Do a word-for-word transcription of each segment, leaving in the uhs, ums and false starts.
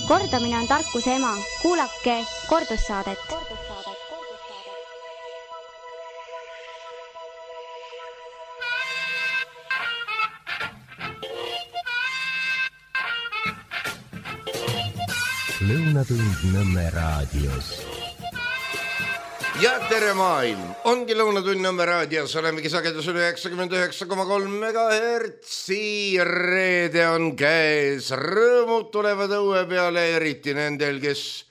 Kordamine on tarkuse ema. Kuulake kordussaadet. Lõunatund Nõmme raadios. Ja tere maailm! Ongi Lõunatund Nõmme raadios. Olemegi sagedusel üheksakümmend üheksa koma kolm megahertsi. Reede on käes. Rõõmud tulevad õue peale, eriti nendel, kes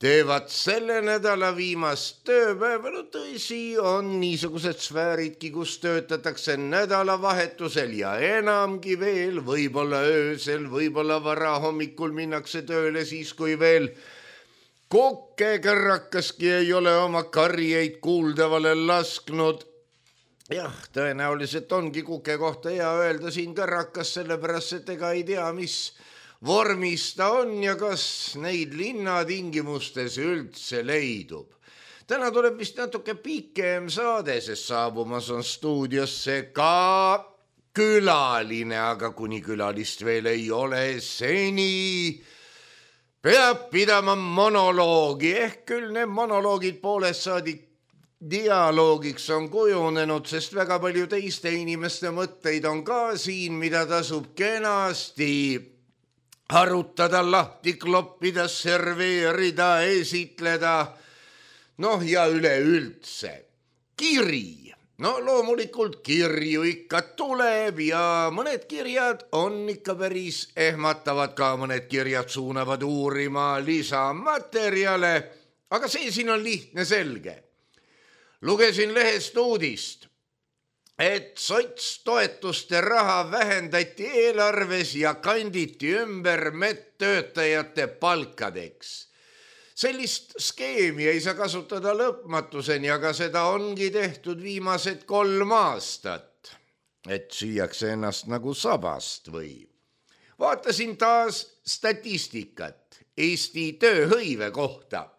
teevad selle nädala viimast tööpäeva. No tõsi, on niisugused sfääridki, kus töötatakse nädalavahetusel ja enamgi veel, võib-olla öösel, võib-olla vara hommikul minnakse tööle siis, kui veel kokkekärrakaski ei ole oma karjeid kuuldavale lasknud. Jah, tõenäoliselt ongi kuke kohta hea öelda siin kärrakas, sellepärast, et ega ei tea, mis vormis ta on ja kas neid linnatingimustes üldse leidub. Täna tuleb vist natuke pikem saade, sest saabumas on stuudiosse ka külaline, aga kuni külalist veel ei ole, seni peab pidama monoloogi, ehk küll need monoloogid poolest saadik dialoogiks on kujunenud, sest väga palju teiste inimeste mõtteid on ka siin, mida tasub kenasti arutada, lahti kloppida, serveerida, esitleda, noh ja üleüldse. Kiri. No loomulikult kirju ikka tuleb ja mõned kirjad on ikka päris ehmatavad, ka mõned kirjad suunavad uurima lisamaterjale, aga see siin on lihtne selge. Lugesin lehest uudist, et sotstoetuste raha vähendati eelarves ja kanditi ümber medtöötajate palkadeks. Sellist skeemi ei saa kasutada lõpmatuseni, aga seda ongi tehtud viimased kolm aastat, et süüakse ennast nagu sabast või. Vaatasin taas statistikat Eesti tööhõive kohta.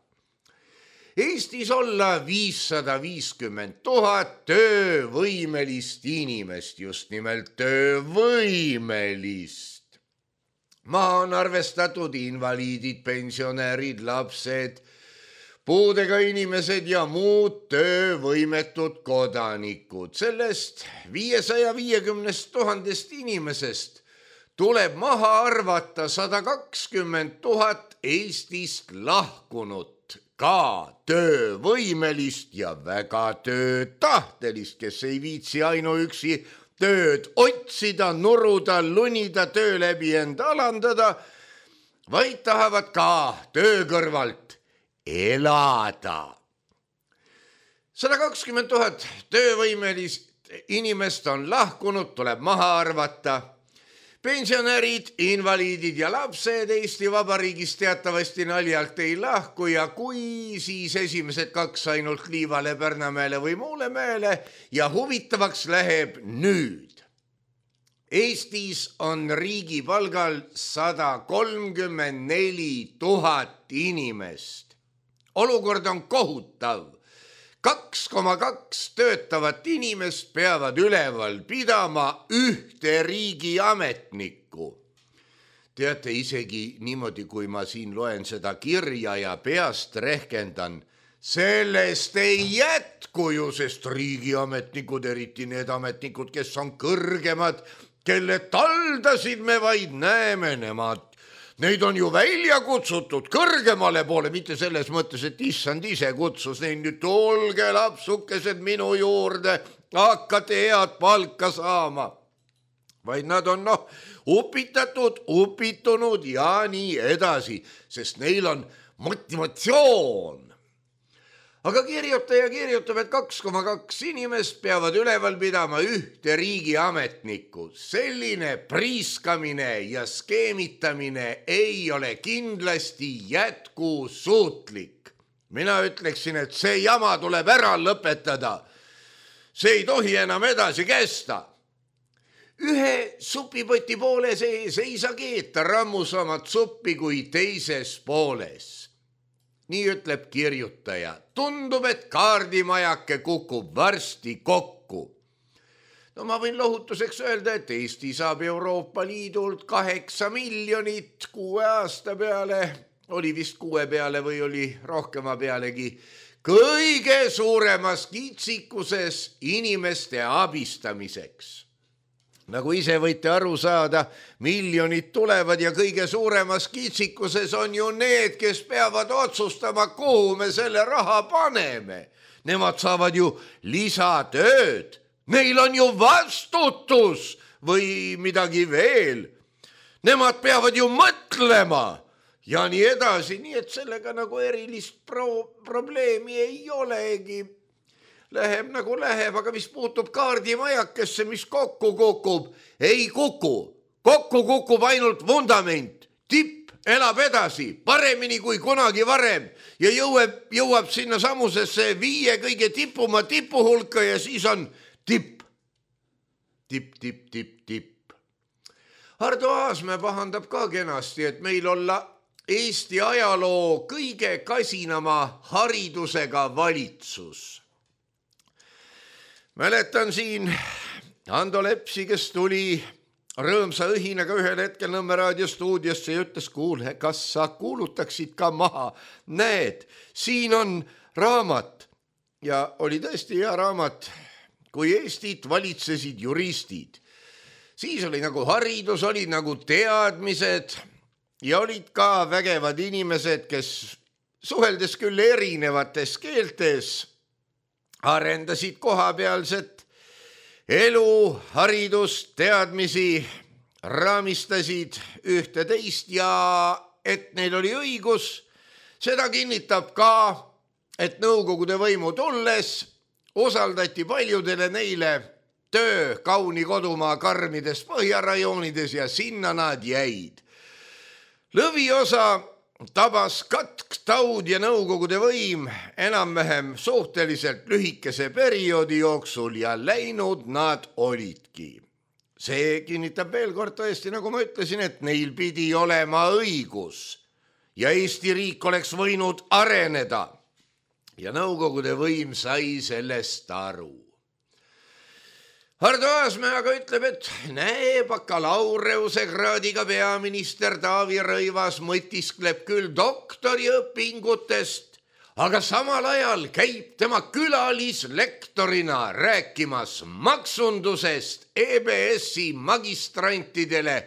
Eestis olla viissada viiskümmend tuhat töövõimelist inimest, just nimelt töövõimelist. Maa on arvestatud invaliidid, pensionärid, lapsed, puudega inimesed ja muud töövõimetud kodanikud. Sellest viiesaja viiekümnest tuhandest inimesest tuleb maha arvata sada kakskümmend tuhat Eestist lahkunut, ka töövõimelist ja väga töötahtelist, kes ei viitsi ainuüksi tööd otsida, nuruda, lunida, töö läbi enda alandada, vaid tahavad ka töö kõrvalt elada. sada kakskümmend tuhat töövõimelist inimest on lahkunud, tuleb maha arvata. Pensionärid, invaliidid ja lapsed Eesti Vabariigis teatavasti naljalt ei lahku ja kui siis esimesed kaks ainult Liivale, Pärnamäele või Muulemäele ja huvitavaks läheb nüüd. Eestis on riigi palgal sada kolmkümmend neli tuhat inimest. Olukord on kohutav. kaks koma kaks töötavat inimest peavad üleval pidama ühte riigi ametnikku. Teate, isegi niimoodi, kui ma siin loen seda kirja ja peast rehkendan, sellest ei jätku ju, sest riigiametnikud, eriti need ametnikud, kes on kõrgemad, kelle taldasid me vaid näeme, nemad neid on ju välja kutsutud kõrgemale poole, mitte selles mõttes, et issand ise kutsus neid nüüd, olge lapsukesed minu juurde, hakkate head palka saama. Vaid nad on noh, upitatud, upitunud ja nii edasi, sest neil on motivatsioon. Aga kirjutaja kirjutab, et kaks koma kaks inimest peavad üleval pidama ühte riigi ametnikku. Selline priiskamine ja skeemitamine ei ole kindlasti jätkusuutlik. Mina ütleksin, et see jama tuleb ära lõpetada. See ei tohi enam edasi kesta. Ühe supipoti poole sees ei saa keeta rammusamat suppi kui teises pooles. Nii ütleb kirjutaja. Tundub, et kaardimajake kukub varsti kokku. no ma võin lohutuseks öelda, et Eesti saab Euroopa Liidult kaheksa miljonit kuue aasta peale, oli vist kuue peale või oli rohkema pealegi, kõige suuremas kitsikuses inimeste abistamiseks. Nagu ise võite aru saada, miljonid tulevad ja kõige suuremas kitsikuses on ju need, kes peavad otsustama, kuhu me selle raha paneme. Nemad saavad ju lisatööd, neil on ju vastutus või midagi veel. Nemad peavad ju mõtlema ja nii edasi, nii et sellega nagu erilist pro- probleemi ei olegi. Läheb nagu läheb, aga mis puutub kaardimajakesse, mis kokku kukub, ei kuku. Kokku kukub ainult vundament. Tipp elab edasi, paremini kui kunagi varem ja jõuab, jõuab sinna samusesse viie kõige tipuma tipu hulka ja siis on tipp. Tipp, tipp, tipp, tipp. Hardo Aasmäe pahandab ka kenasti, et meil olla Eesti ajaloo kõige kasinama haridusega valitsus. Mäletan siin Ando Lepsi, kes tuli rõõmsa õhinaga ühel hetkel Nõmme raadio stuudiosse ja ütles, kuule, kas sa kuulutaksid ka maha? Näed, siin on raamat ja oli tõesti hea raamat, kui Eestit valitsesid juristid. Siis oli nagu haridus, olid nagu teadmised ja olid ka vägevad inimesed, kes suheldes küll erinevates keeltes arendasid kohapealset elu, haridust, teadmisi, raamistasid ühte teist ja et neil oli õigus, seda kinnitab ka, et nõukogude võimu tulles osaldati paljudele neile töö kauni kodumaa karmides põhjarajoonides ja sinna nad jäid. Lõviosa tabas katk, taud ja nõukogude võim enam-vähem suhteliselt lühikese perioodi jooksul ja läinud nad olidki. See kinnitab veel kord tõesti, nagu ma ütlesin, et neil pidi olema õigus ja Eesti riik oleks võinud areneda ja nõukogude võim sai sellest aru. Hardo Aasmäe aga ütleb, et näe, bakalaureuse kraadiga peaminister Taavi Rõivas mõtiskleb küll doktoriõpingutest, aga samal ajal käib tema külalislektorina rääkimas maksundusest E B S-i magistrantidele,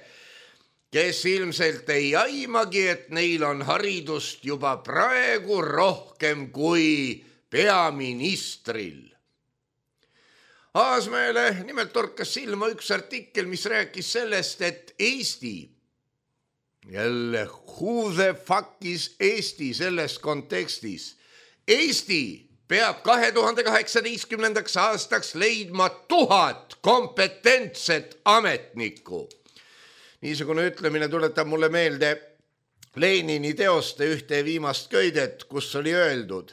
kes ilmselt ei aimagi, et neil on haridust juba praegu rohkem kui peaministril. Aasmäele nimelt torkas silma üks artikkel, mis rääkis sellest, et Eesti, jälle who the fuck is Eesti selles kontekstis, Eesti peab kahe tuhande kaheksateistkümnendaks aastaks leidma tuhat kompetentset ametnikku. Niisugune ütlemine tuletab mulle meelde Lenini teoste ühte viimast köidet, kus oli öeldud,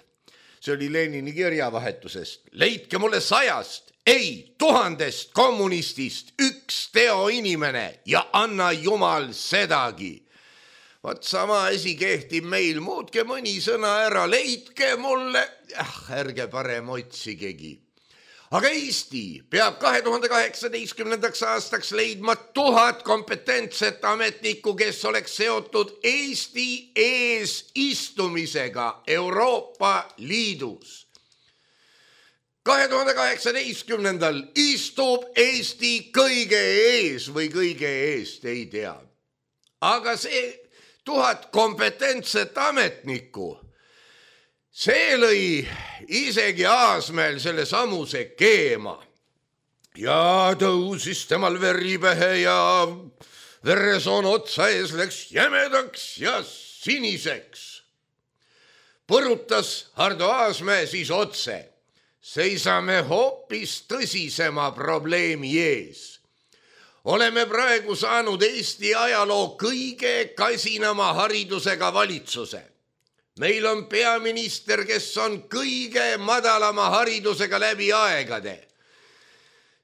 see oli Lenini kirjavahetusest, leidke mulle sajast, ei, tuhandest kommunistist üks teoinimene ja anna jumal sedagi. Vaat sama asi kehtib meil, muutke mõni sõna ära, leidke mulle, ah, ärge parem otsigegi. Aga Eesti peab kahe tuhande kaheksateistkümnendaks aastaks leidma tuhat kompetentset ametnikku, kes oleks seotud Eesti eesistumisega Euroopa Liidus. kahe tuhande kaheksateistkümnendal istub Eesti kõige ees või kõige eest, ei tea. Aga see tuhat kompetentset ametnikku, see lõi isegi Aasmäel selle samuse keema. Ja tõusis temal veri pähe ja veresoon otsa ees läks jämedaks ja siniseks. Põrutas Hardo Aasmäe siis otse. Seisame hoopis tõsisema probleemi ees. Oleme praegu saanud Eesti ajaloo kõige kasinama haridusega valitsuse. Meil on peaminister, kes on kõige madalama haridusega läbi aegade.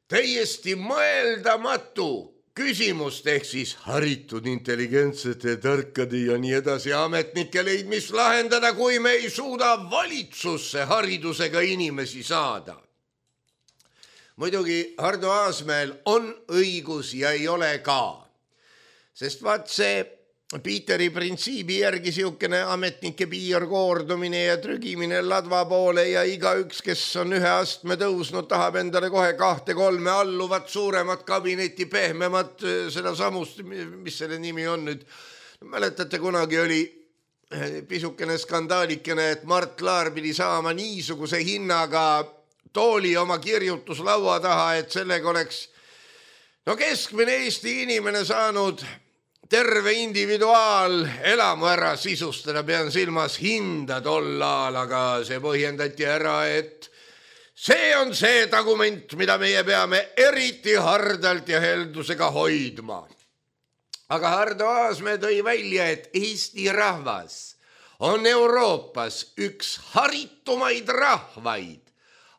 Täiesti mõeldamatu küsimust ehk siis haritud, intelligentsete, tarkade ja nii edasi ametnike leidmist lahendada, kui me ei suuda valitsusse haridusega inimesi saada. muidugi Hardo Aasmäel on õigus ja ei ole ka. Sest vaat see Piiteri printsiibi järgi siukene ametnike piirkoordumine ja trügimine ladva poole ja igaüks, kes on ühe astme tõusnud, tahab endale kohe kahte kolme alluvat, suuremat kabinetti, pehmemat, seda samust, mis selle nimi on nüüd. Mäletate, kunagi oli pisukene skandaalikene, et Mart Laar pidi saama niisuguse hinnaga tooli oma kirjutuslaua taha, et sellega oleks no keskmine Eesti inimene saanud terve individuaal elamu ära sisustada, pean silmas hinda tol ajal, aga see põhjendati ära, et see on see dokument, mida meie peame eriti hardalt ja heldusega hoidma. Aga Hardo Aasmäe tõi välja, et Eesti rahvas on Euroopas üks haritumaid rahvaid,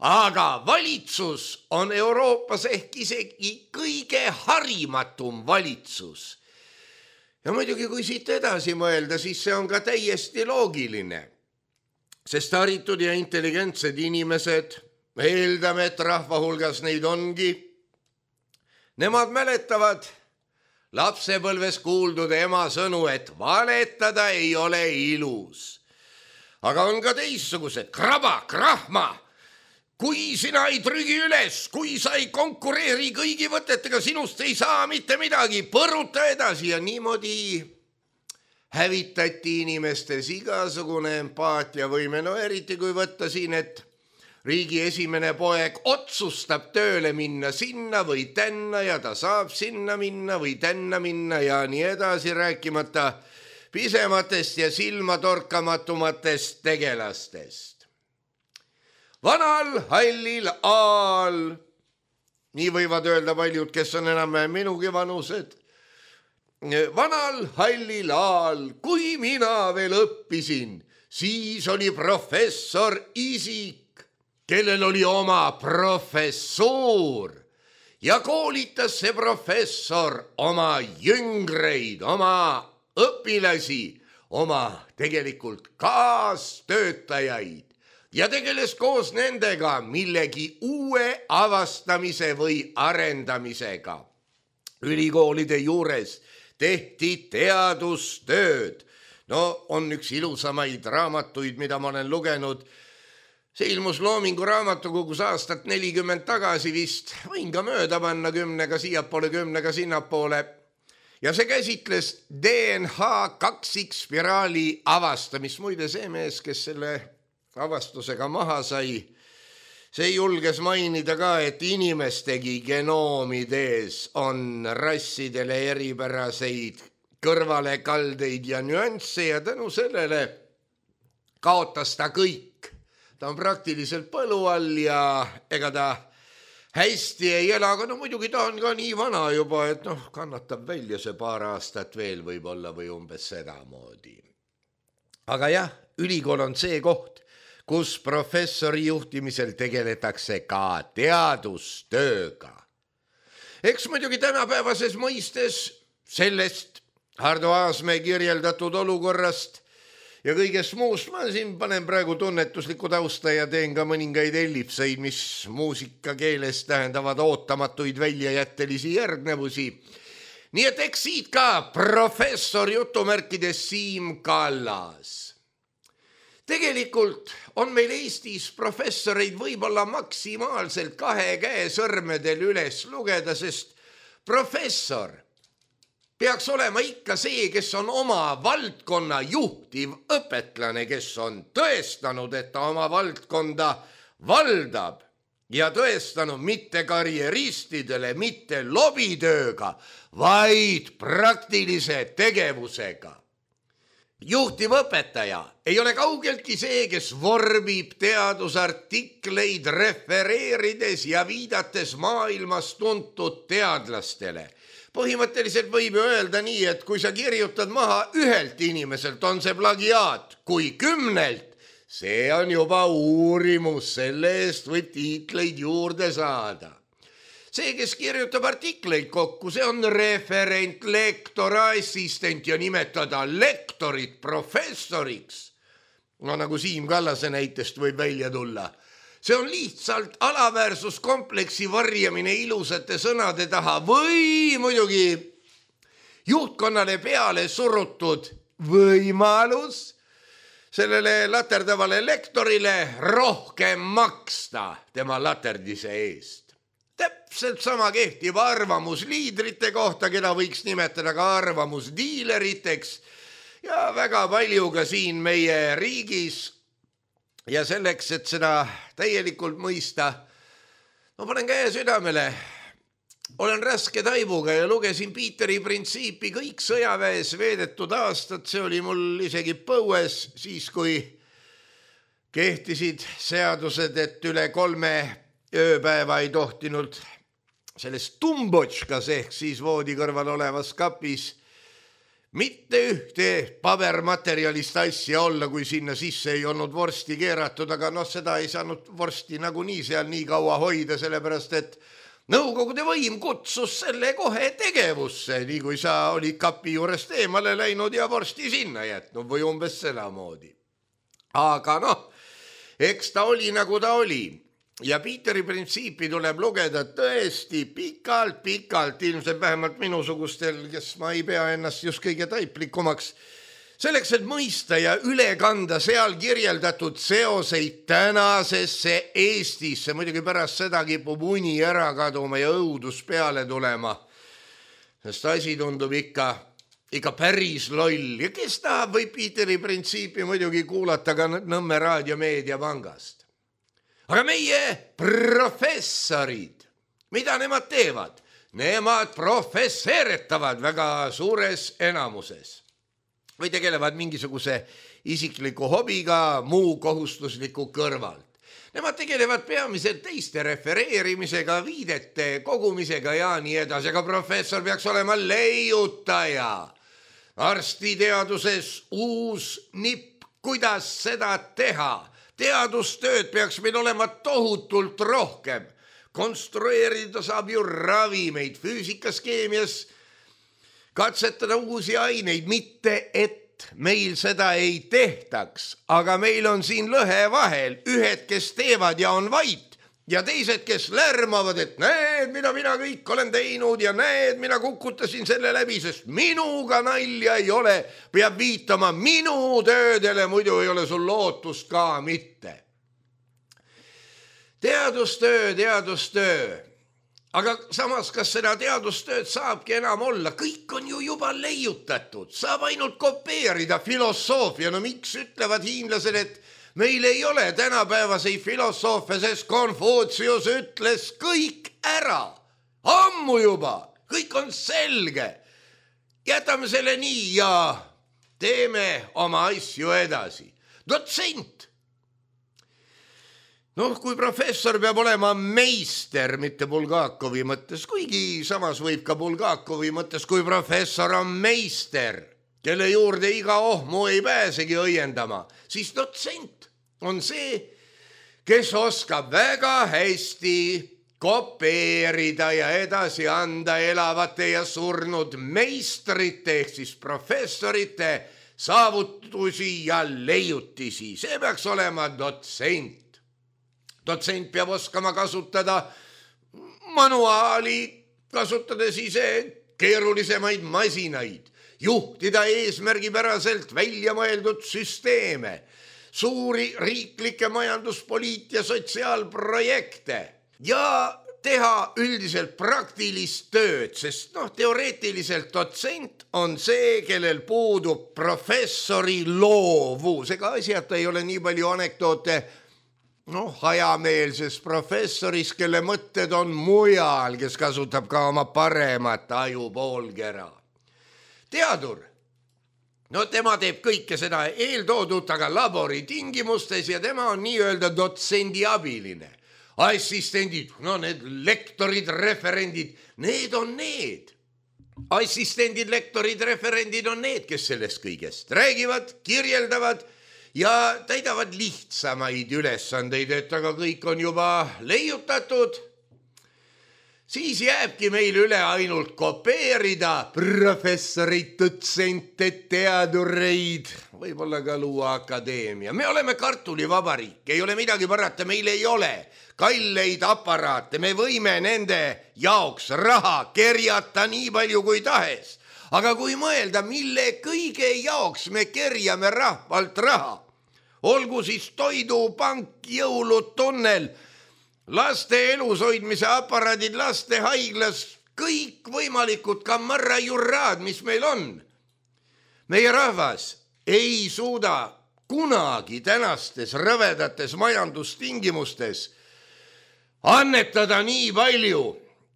aga valitsus on Euroopas ehk isegi kõige harimatum valitsus. Ja muidugi, kui siit edasi mõelda, siis see on ka täiesti loogiline, sest haritud ja intelligentsed inimesed, eeldame, et rahva hulgas neid ongi, nemad mäletavad lapsepõlves kuuldud ema sõnu, et valetada ei ole ilus. Aga on ka teissugused, kraba, krahma, kui sina ei trügi üles, kui sa ei konkureeri kõigi võtetega, sinust ei saa mitte midagi, põruta edasi ja niimoodi hävitati inimestes igasugune empaatiavõime. No eriti kui võtta siin, et riigi esimene poeg otsustab tööle minna sinna või tänna ja ta saab sinna minna või tänna minna ja nii edasi, rääkimata pisematest ja silmatorkamatumatest tegelastest. Vanal hallil aal, nii võivad öelda paljud, kes on enam minugi vanused, vanal hallil aal, kui mina veel õppisin, siis oli professor isik, kellel oli oma professuur ja koolitas see professor oma jüngreid, oma õpilasi, oma tegelikult kaastöötajaid. Ja tegeles koos nendega millegi uue avastamise või arendamisega. Ülikoolide juures tehti teadustööd. No on üks ilusamaid raamatuid, mida ma olen lugenud. See ilmus Loomingu raamatukogus aastat nelikümmend tagasi vist. Võin ka mööda panna kümnega siiapoole, kümnega sinnapoole. Ja see käsitles D N H kaksikspiraali avastamist. Muide see mees, kes selle avastusega maha sai, see julges mainida ka, et inimestegi genoomides on rassidele eripäraseid kõrvalekaldeid ja nüansse ja tänu sellele kaotas ta kõik. Ta on praktiliselt põlu all ja ega ta hästi ei ela, aga no muidugi ta on ka nii vana juba, et noh, kannatab välja see paar aastat veel võib-olla või umbes sedamoodi. Aga jah, ülikool on see koht, kus professori juhtimisel tegeletakse ka teadustööga. Eks muidugi tänapäevases mõistes sellest Hardo Aasmäe kirjeldatud olukorrast ja kõigest muust ma siin panen praegu tunnetuslikku tausta ja teen ka mõningaid ellipseid, mis muusika keeles tähendavad ootamatuid väljajättelisi järgnevusi. Nii et eks siit ka professor jutumärkides Siim Kallas. Tegelikult on meil Eestis professoreid võib-olla maksimaalselt kahe käe sõrmedel üles lugeda, sest professor peaks olema ikka see, kes on oma valdkonna juhtiv õpetlane, kes on tõestanud, et ta oma valdkonda valdab ja tõestanud mitte karjeristidele, mitte lobitööga, vaid praktilise tegevusega. Juhtiv õpetaja ei ole kaugeltki see, kes vorbib teadusartikleid refereerides ja viidates maailmas tuntud teadlastele. Põhimõtteliselt võib ju öelda nii, et kui sa kirjutad maha ühelt inimeselt, on see plagiaat, kui kümnelt, see on juba uurimus, selle eest võib tiitleid juurde saada. See, kes kirjutab artikleid kokku, see on referent, lektor, assistent ja nimetada lektorit professoriks. No nagu Siim Kallase näitest võib välja tulla. see on lihtsalt alaväärsuskompleksi varjamine ilusate sõnade taha või muidugi juhtkonnale peale surutud võimalus sellele laterdavale lektorile rohkem maksta tema laterdise eest. Täpselt sama kehtib arvamusliidrite kohta, keda võiks nimetada ka arvamusdiileriteks ja väga palju ka siin meie riigis. Ja selleks, et seda täielikult mõista, ma panen käe südamele. Olen raske taibuga ja lugesin Piiteri printsiipi kõik sõjaväes veedetud aastad. See oli mul isegi põues, siis kui kehtisid seadused, et üle kolme ööpäeva ei tohtinud selles tumbotškas ehk siis voodi kõrval olevas kapis mitte ühte pabermaterjalist asja olla, kui sinna sisse ei olnud vorsti keeratud, aga noh, seda ei saanud vorsti nagunii seal nii kaua hoida, sellepärast et Nõukogude võim kutsus selle kohe tegevusse, nii kui sa olid kapi juurest eemale läinud ja vorsti sinna jätnud või umbes sedamoodi. Aga noh, eks ta oli nagu ta oli. Ja Piiteri printsiipi tuleb lugeda tõesti pikalt, pikalt, ilmselt vähemalt minusugustel, kes ma ei pea ennast just kõige taiplikumaks, selleks, et mõista ja üle kanda seal kirjeldatud seoseid tänasesse Eestisse. Muidugi pärast seda kipub uni ära kaduma ja õudus peale tulema. Sest asi tundub ikka, ikka päris loll. Ja kes tahab või Piiteri printsiipi muidugi kuulata ka Nõmme Raadio Meediapangast. Aga meie professorid, mida nemad teevad? Nemad professeeretavad väga suures enamuses. Või tegelevad mingisuguse isikliku hobiga muu kohustusliku kõrvalt. Nemad tegelevad peamiselt teiste refereerimisega, viidete kogumisega ja nii edasi, aga professor peaks olema leiutaja. Arstiteaduses uus nipp, kuidas seda teha. Teadustööd peaks meil olema tohutult rohkem. Konstrueerida saab ju ravimeid, füüsikas, keemias, katsetada uusi aineid, mitte et meil seda ei tehtaks, aga meil on siin lõhe vahel, ühed, kes teevad ja on vait ja teised, kes lärmavad, et näed, mida mina kõik olen teinud ja näed, mina kukutasin selle läbi, sest minuga nalja ei ole, peab viitama minu töödele, muidu ei ole sul lootust ka mitte. Teadustöö, teadustöö. Aga samas, kas seda teadustööd saabki enam olla? Kõik on ju juba leiutatud. Saab ainult kopeerida filosoofia. No miks ütlevad hiinlased, et meil ei ole tänapäevasei filosoofe, sest Konfutsius ütles kõik ära. Ammu juba. Kõik on selge. Jätame selle nii ja teeme oma asju edasi. Dotsent. Noh, kui professor peab olema meister, mitte Bulgakovi mõttes, kuigi samas võib ka Bulgakovi mõttes, kui professor on meister, kelle juurde iga ohmu ei pääsegi õiendama, siis dotsent on see, kes oskab väga hästi kopeerida ja edasi anda elavate ja surnud meistrite ehk siis professorite saavutusi ja leiutisi. See peaks olema dotsent. Dotsent peab oskama kasutada manuaali, kasutades ise keerulisemaid masinaid, juhtida eesmärgipäraselt välja mõeldud süsteeme, suuri riiklikke majanduspoliit- ja sotsiaalprojekte ja teha üldiselt praktilist tööd, sest noh, teoreetiliselt dotsent on see, kellel puudub professori loovus. Ega asjata ei ole nii palju anekdoote noh, hajameelses professoris, kelle mõtted on mujal, kes kasutab ka oma paremat ajupoolkera. Teadur, no tema teeb kõike seda eeltoodut, aga labori tingimustes ja tema on nii-öelda dotsendi abiline. Assistendid, no need lektorid, referendid, need on need. Assistendid, lektorid, referendid on need, kes sellest kõigest räägivad, kirjeldavad ja täidavad lihtsamaid ülesandeid, et aga kõik on juba leiutatud. siis jääbki meil üle ainult kopeerida professorid, dotsente, teadureid, võib-olla ka luua akadeemia. Me oleme kartulivabariik, ei ole midagi parata, meil ei ole kalleid aparaate, me võime nende jaoks raha kerjata nii palju kui tahes. Aga kui mõelda, mille kõige jaoks me kerjame rahvalt raha, olgu siis toidupank, jõulutunnel, laste elushoidmise aparaadid, laste haiglas, kõik võimalikud kamarrajurraad, mis meil on. Meie rahvas ei suuda kunagi tänastes rõvedates majandustingimustes annetada nii palju,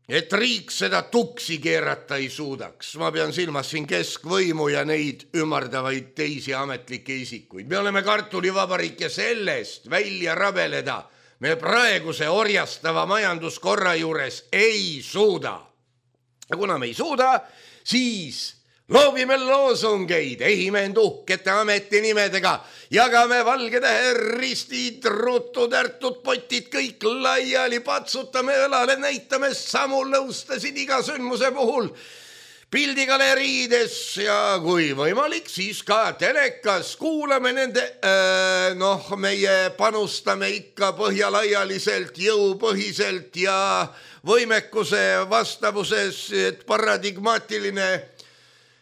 et riik seda tuksi keerata ei suudaks. Ma pean silmas siin keskvõimu ja neid ümardavaid teisi ametlikke isikuid. Me oleme kartulivabariik ja sellest välja rabeleda me praeguse orjastava majanduskorra juures ei suuda. Ja kuna me ei suuda, siis loobime loosungeid, ehime end uhkete ametinimedega, jagame valgetähe ristid, rutud, ärtud, potid, kõik laiali, patsutame õlale, näitame samu lõustasid iga sündmuse puhul, pildigaleriides ja kui võimalik, siis ka telekas, kuulame nende, äh, noh, meie panustame ikka põhjalaialiselt, jõupõhiselt ja võimekuse vastavuses, et paradigmaatiline.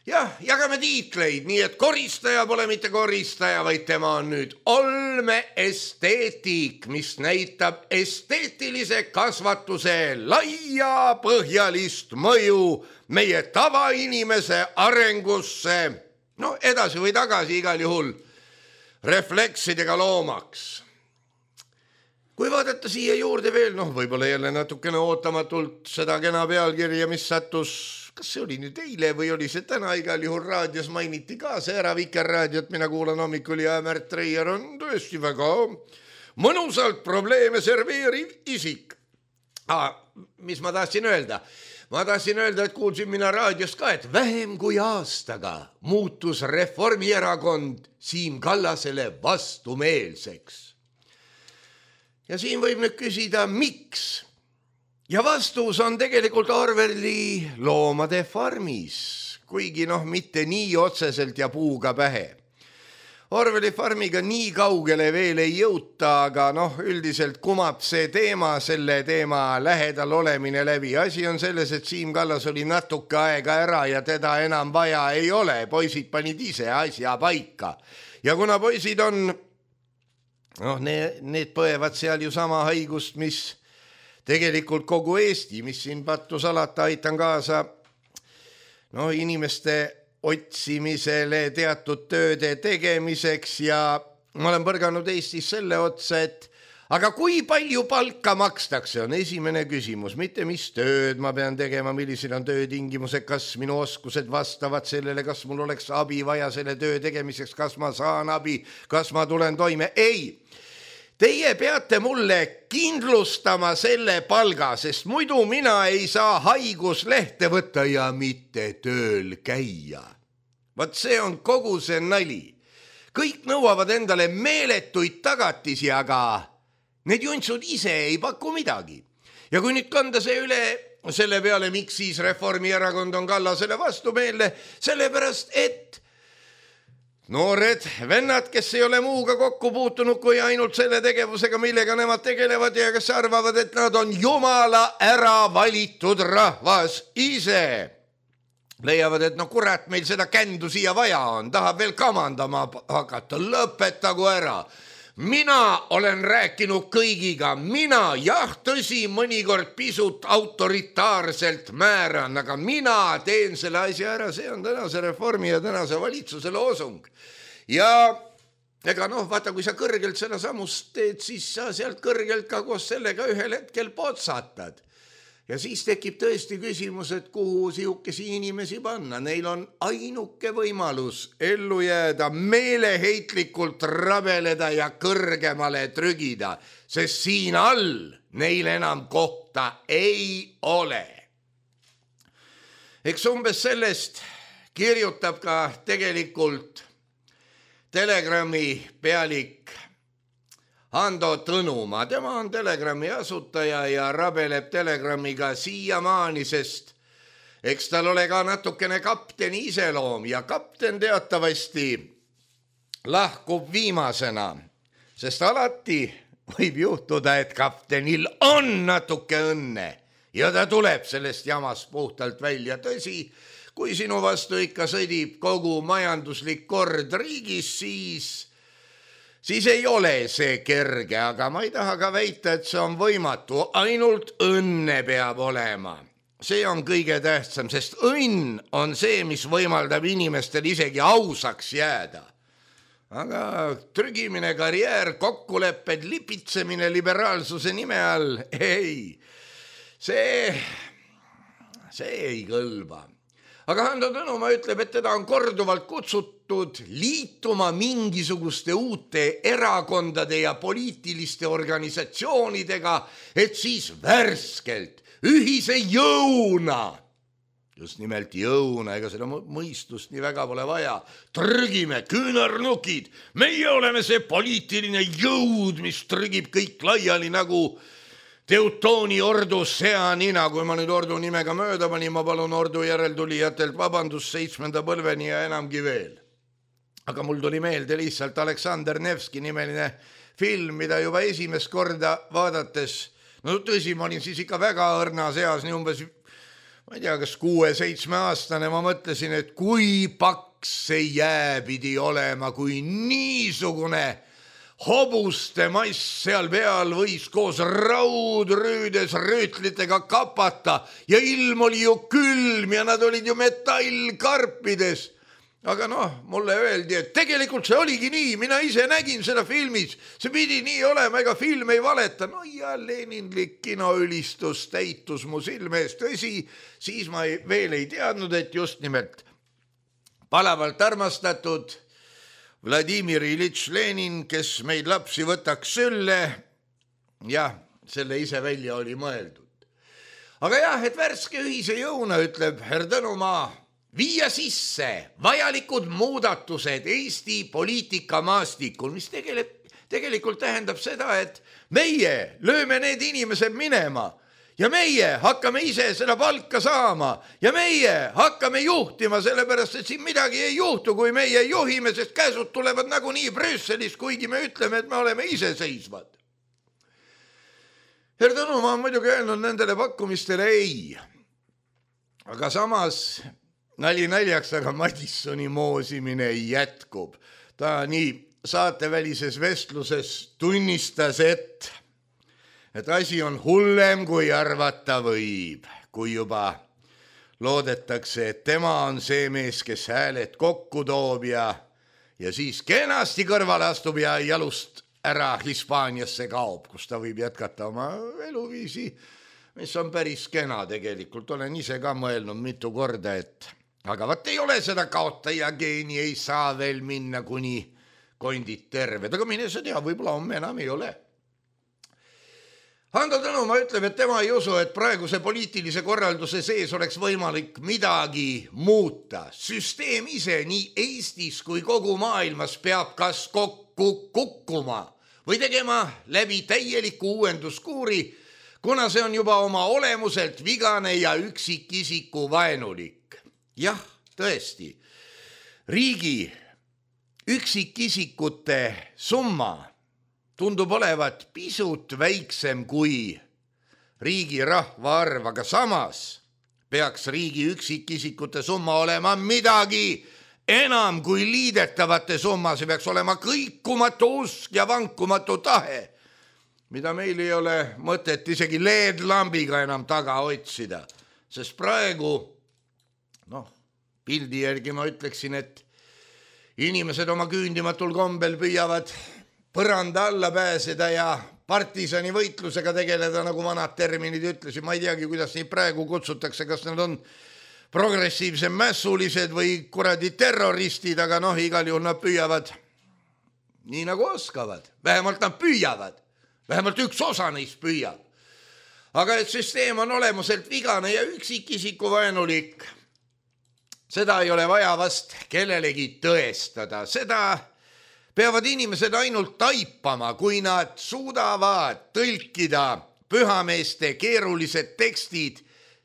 Jah, jagame tiitleid, nii et koristaja pole mitte koristaja, vaid tema on nüüd olmeesteetik, mis näitab esteetilise kasvatuse laia põhjalist mõju meie tavainimese arengusse, no edasi või tagasi igal juhul refleksidega loomaks. Kui vaadata siia juurde veel, noh, võib-olla jälle natukene ootamatult seda kena pealkirja, mis sattus, kas see oli nüüd eile või oli see täna, igal juhul raadios mainiti ka see ära Vikerraadiot, mina kuulan hommikul ja Märt Reier on tõesti väga mõnusalt probleeme serveeriv isik. Ah, mis ma tahtsin öelda? Ma tahtsin öelda, et kuulsin mina raadios ka, et vähem kui aastaga muutus Reformierakond Siim Kallasele vastumeelseks. Ja siin võib nüüd küsida, miks? Ja vastus on tegelikult Orwelli Loomade farmis, kuigi noh, mitte nii otseselt ja puuga pähe. Orwelli farmiga nii kaugele veel ei jõuta, aga noh, üldiselt kumab see teema, selle teema lähedal olemine läbi. Asi on selles, et Siim Kallas oli natuke aega ära ja teda enam vaja ei ole. Poisid panid ise asja paika. Ja kuna poisid on, noh, need, need põevad seal ju sama haigust, mis tegelikult kogu Eesti, mis siin pattu salata, aitan kaasa no, inimeste otsimisele teatud tööde tegemiseks ja ma olen põrganud Eestis selle otsa, et aga kui palju palka makstakse, on esimene küsimus, mitte mis tööd ma pean tegema, millised on töötingimused, kas minu oskused vastavad sellele, kas mul oleks abi vaja selle töö tegemiseks, kas ma saan abi, kas ma tulen toime, ei. Teie peate mulle kindlustama selle palga, sest muidu mina ei saa haiguslehte võtta ja mitte tööl käia. Vaat see on kogu see nali. Kõik nõuavad endale meeletuid tagatisi, aga need juntsud ise ei paku midagi. Ja kui nüüd kanda see üle selle peale, miks siis Reformierakond on Kallasele vastumeelne, sellepärast, et noored vennad, kes ei ole muuga kokku puutunud kui ainult selle tegevusega, millega nemad tegelevad ja kes arvavad, et nad on jumala ära valitud rahvas ise. Leiavad, et no kurat, meil seda kändu siia vaja on, tahab veel kamandama hakata, lõpetagu ära. Mina olen rääkinud kõigiga, mina, jah, tõsi, mõnikord pisut autoritaarselt määran, aga mina teen selle asja ära, see on tänase reformi ja tänase valitsuse loosung. Ja ega noh, vaata, kui sa kõrgelt seda samust teed, siis sa sealt kõrgelt ka koos sellega ühel hetkel potsatad. Ja siis tekib tõesti küsimus, et kuhu sihukesi inimesi panna. Neil on ainuke võimalus ellu jääda, meeleheitlikult rabeleda ja kõrgemale trügida, sest siin all neil enam kohta ei ole. Eks umbes sellest kirjutab ka tegelikult Telegrami pealik Hando Tõnumaa, tema on Telegrami asutaja ja rabeleb Telegramiga siiamaani, sest eks tal ole ka natukene kapteni iseloom ja kapten teatavasti lahkub viimasena, sest alati võib juhtuda, et kaptenil on natuke õnne ja ta tuleb sellest jamast puhtalt välja. Tõsi, kui sinu vastu ikka sõdib kogu majanduslik kord riigis, siis, siis ei ole see kerge, aga ma ei taha ka väita, et see on võimatu, ainult õnne peab olema. See on kõige tähtsam, sest õnn on see, mis võimaldab inimestel isegi ausaks jääda. Aga trügimine, karjäär, kokkulepped, lipitsemine liberaalsuse nime all, ei, see, see ei kõlba. Aga Hando Tõnumaa ütleb, et teda on korduvalt kutsutud liituma mingisuguste uute erakondade ja poliitiliste organisatsioonidega, et siis värskelt ühise jõuna, just nimelt jõuna, ega seda mõistust nii väga pole vaja, trügime küünarnukid, meie oleme see poliitiline jõud, mis trügib kõik laiali nagu Teutooni ordu seanina. Kui ma nüüd ordu nimega mööda panin, ma palun ordu järeltulijatelt vabandust seitsmenda põlveni ja enamgi veel. Aga mul tuli meelde lihtsalt Aleksander Nevski nimeline film, mida juba esimest korda vaadates, no tõsi, ma olin siis ikka väga õrnas eas, nii umbes, ma ei tea, kas kuue-seitsme aastane, ma mõtlesin, et kui paks see jää pidi olema, kui niisugune hobuste mass seal peal võis koos raudrüüdes rüütlitega kapata ja ilm oli ju külm ja nad olid ju metallkarpides. Aga noh, mulle öeldi, et tegelikult see oligi nii, mina ise nägin seda filmis, see pidi nii olema, ega film ei valeta. No ja leninlik kinoülistus täitus mu silme eest, tõsi, siis ma ei, veel ei teadnud, et just nimelt palavalt armastatud Vladimir Ilitš Lenin, kes meid lapsi võtaks sülle, jah, selle ise välja oli mõeldud. Aga jah, et värske ühise jõuna, ütleb Herr Tõnumaa, viia sisse vajalikud muudatused Eesti poliitikamaastikul, mis tegelikult, tegelikult tähendab seda, et meie lööme need inimesed minema ja meie hakkame ise seda palka saama ja meie hakkame juhtima, sellepärast et siin midagi ei juhtu, kui meie juhime, sest käsud tulevad nagunii Brüsselist, kuigi me ütleme, et me oleme iseseisvad. Herr Tõnumaa on muidugi öelnud nendele pakkumistele ei, aga samas nali naljaks, aga Madissoni moosimine jätkub. Ta nii saatevälises vestluses tunnistas, et, et asi on hullem, kui arvata võib, kui juba loodetakse, et tema on see mees, kes hääled kokku toob ja, ja siis kenasti kõrvale astub ja jalust ära Hispaaniasse kaob, kus ta võib jätkata oma eluviisi, mis on päris kena tegelikult. Olen ise ka mõelnud mitu korda, et aga vaat ei ole seda kaotaja geeni, ei saa veel minna kuni kondid terved, aga mine sa tea, võib-olla homme enam ei ole. Hando Tõnumaa ütleb, et tema ei usu, et praeguse poliitilise korralduse sees oleks võimalik midagi muuta. Süsteem ise nii Eestis kui kogu maailmas peab kas kokku kukkuma või tegema läbi täieliku uuenduskuuri, kuna see on juba oma olemuselt vigane ja üksikisiku vaenulik. Jah, tõesti, riigi üksikisikute summa tundub olevat pisut väiksem kui riigi rahvaarv, aga samas peaks riigi üksikisikute summa olema midagi enam kui liidetavate summa, see peaks olema kõikumatu usk ja vankumatu tahe, mida meil ei ole mõtet isegi L E D-lambiga enam taga otsida, sest praegu noh, pildi järgi ma ütleksin, et inimesed oma küündimatul kombel püüavad põranda alla pääseda ja partisani võitlusega tegeleda, nagu vanad terminid ütlesid. Ma ei teagi, kuidas neid praegu kutsutakse, kas nad on progressiivsed mässulised või kuradi terroristid, aga noh, igal juhul nad püüavad nii nagu oskavad. Vähemalt nad püüavad. Vähemalt üks osa neist püüab. Aga et süsteem on olemuselt vigane ja üksikisiku vaenulik, seda ei ole vaja vast kellelegi tõestada. Seda peavad inimesed ainult taipama, kui nad suudavad tõlkida pühameeste keerulised tekstid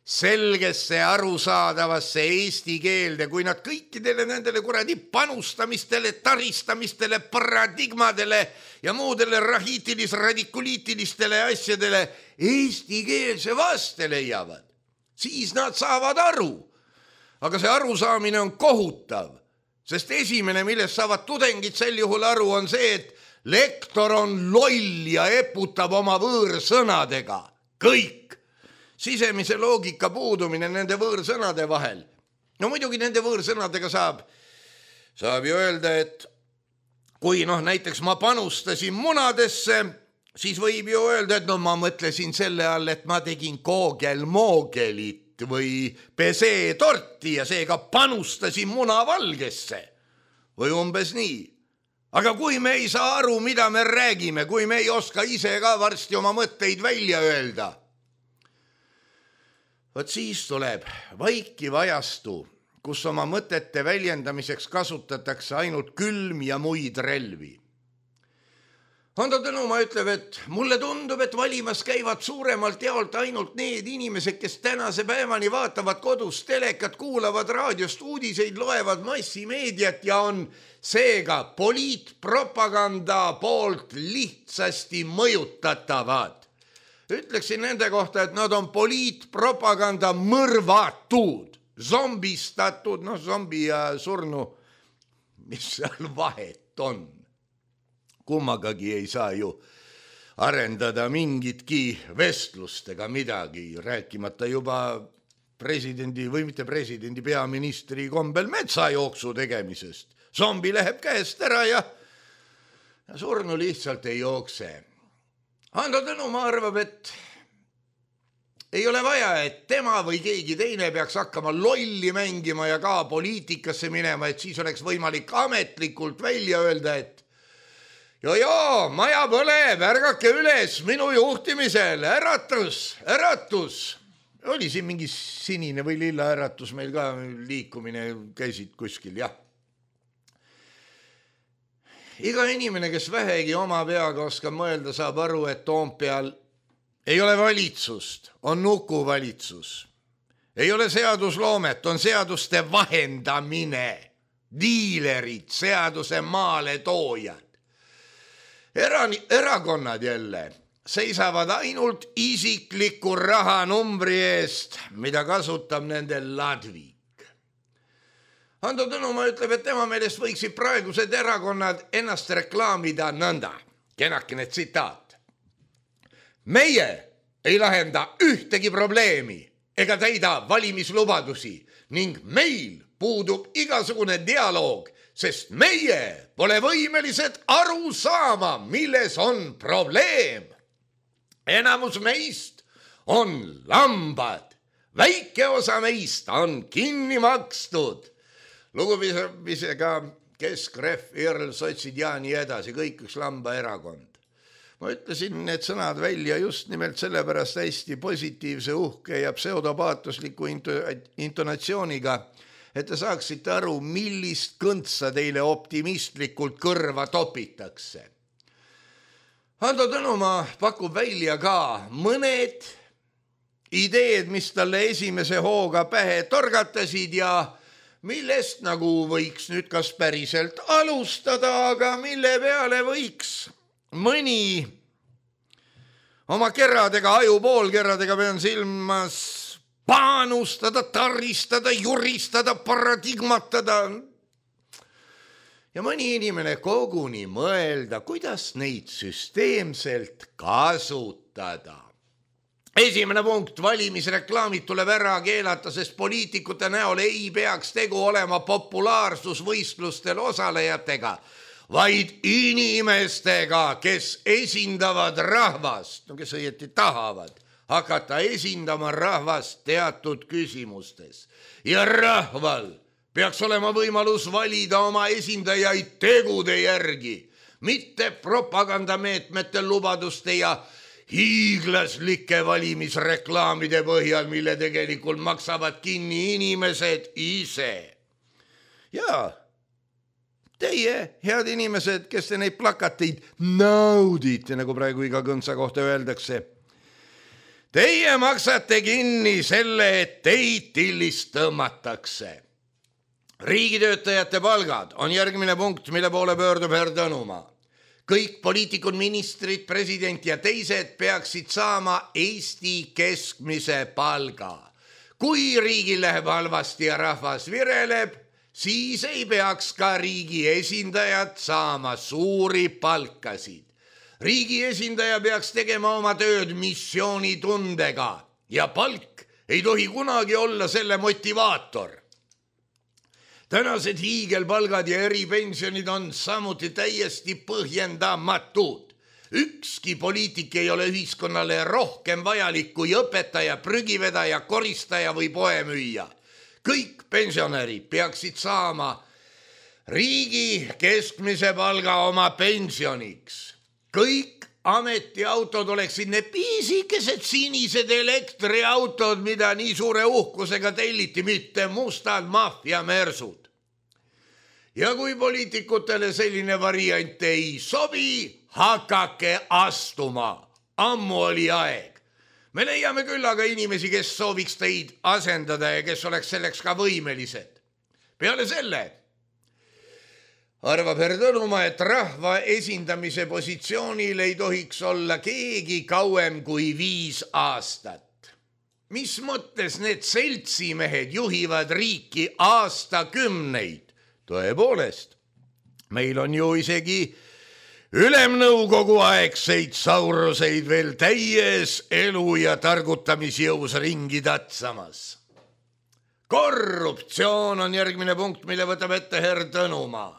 selgesse arusaadavasse eesti keelde, kui nad kõikidele nendele kuradi panustamistele, taristamistele, paradigmadele ja muudele rahiitilis-radikuliitilistele asjadele eesti keelse vaste leiavad, siis nad saavad aru. Aga see arusaamine on kohutav, sest esimene, millest saavad tudengid sel juhul aru, on see, et lektor on loll ja eputab oma võõrsõnadega. Kõik. Sisemise loogika puudumine nende võõrsõnade vahel. No muidugi nende võõrsõnadega saab, saab ju öelda, et kui noh, näiteks ma panustasin munadesse, siis võib ju öelda, et no ma mõtlesin selle all, et ma tegin koogel-moogelit või pesee-torti ja seega panustasin munavalgesse. Või umbes nii. Aga kui me ei saa aru, mida me räägime, kui me ei oska ise ka varsti oma mõtteid välja öelda, võt siis tuleb vaikiv ajastu, kus oma mõtete väljendamiseks kasutatakse ainult külm ja muid relvi. Hando Tõnumaa ütleb, et mulle tundub, et valimas käivad suuremalt jaolt ainult need inimesed, kes tänase päevani vaatavad kodus telekat, kuulavad raadiost uudiseid, loevad massimeediat ja on seega poliitpropaganda poolt lihtsasti mõjutatavad. Ütleksin nende kohta, et nad on poliitpropaganda mõrvatud, zombistatud, noh zombi ja surnu, mis seal vahet on. Kummagagi ei saa ju arendada mingitki vestlust ega midagi, rääkimata juba presidendi või mitte presidendi, peaministri kombel metsajooksu tegemisest. Zombi läheb käest ära ja, ja surnu lihtsalt ei jookse. Hando Tõnumaa arvab, et ei ole vaja, et tema või keegi teine peaks hakkama lolli mängima ja ka poliitikasse minema, et siis oleks võimalik ametlikult välja öelda, et joo-joo, maja põleb, ärgake üles minu juhtimisel, äratus, äratus. Oli siin mingi sinine või lilla äratus meil ka liikumine, käisid kuskil, jah. Iga inimene, kes vähegi oma peaga oskab mõelda, saab aru, et Toompeal ei ole valitsust, on nukuvalitsus. Ei ole seadusloomet, on seaduste vahendamine, diilerid, seaduse maale toojad. Erani, erakonnad jälle seisavad ainult isikliku rahanumbri eest, mida kasutab nende ladvik. Hando Tõnumaa ütleb, et tema meelest võiksid praegused erakonnad ennast reklaamida nõnda. Kenakene tsitaat. Meie ei lahenda ühtegi probleemi ega täida valimislubadusi ning meil puudub igasugune dialoog, sest meie pole võimelised aru saama, milles on probleem. Enamus meist on lambad, väike osa meist on kinni makstud. Lugupisega Keskref, Irl, Sotsid ja nii edasi, kõik üks lamba erakond. Ma ütlesin need sõnad välja just nimelt sellepärast hästi positiivse, uhke ja pseudopaatusliku intonatsiooniga, et te saaksite aru, millist kõntsa teile optimistlikult kõrva topitakse. Hando Tõnumaa pakub välja ka mõned ideed, mis talle esimese hooga pähe torgatasid ja millest nagu võiks nüüd kas päriselt alustada, aga mille peale võiks mõni oma keradega, ajupoolkeradega pean silmas panustada, taristada, juristada, paradigmatada. Ja mõni inimene koguni mõelda, kuidas neid süsteemselt kasutada. Esimene punkt, valimisreklaamid tuleb ära keelata, sest poliitikute näol ei peaks tegu olema populaarsusvõistlustel osalejatega, vaid inimestega, kes esindavad rahvast, no kes õieti tahavad hakata esindama rahvast teatud küsimustes. Ja rahval peaks olema võimalus valida oma esindajaid tegude järgi, mitte propagandameetmete, lubaduste ja hiiglaslike valimisreklaamide põhjal, mille tegelikult maksavad kinni inimesed ise. Ja Teie, head inimesed, kes te neid plakateid naudite, nagu praegu iga kõnsa kohta öeldakse. Teie maksate kinni selle, et teid tillist tõmmatakse. Riigitöötajate palgad on järgmine punkt, mille poole pöördub härra Tõnumaa. Kõik poliitikud, ministrid, president ja teised peaksid saama Eesti keskmise palga. Kui riigil läheb halvasti ja rahvas vireleb, siis ei peaks ka riigi esindajad saama suuri palkasid. Riigi esindaja peaks tegema oma tööd missioonitundega ja palk ei tohi kunagi olla selle motivaator. Tänased hiigelpalgad ja eripensionid on samuti täiesti põhjendamatud. Ükski poliitik ei ole ühiskonnale rohkem vajalik kui õpetaja, prügivedaja, koristaja või poemüüja. Kõik pensionärid peaksid saama riigi keskmise palga oma pensioniks. Kõik ametiautod oleksid need piisikesed sinised elektriautod, mida nii suure uhkusega telliti, mitte mustad maffiamersud. Ja kui poliitikutele selline variant ei sobi, hakake astuma. Ammu oli aeg. Me leiame küll aga inimesi, kes sooviks teid asendada ja kes oleks selleks ka võimelised. Peale selle arvab härra Tõnumaa, et rahva esindamise positsioonil ei tohiks olla keegi kauem kui viis aastat. Mis mõttes need seltsimehed juhivad riiki aastakümneid? Tõepoolest, meil on ju isegi ülemnõukogu aegseid sauruseid veel täies elu ja targutamisjõus ringi tatsamas. Korruptsioon on järgmine punkt, mille võtab ette härra Tõnumaa.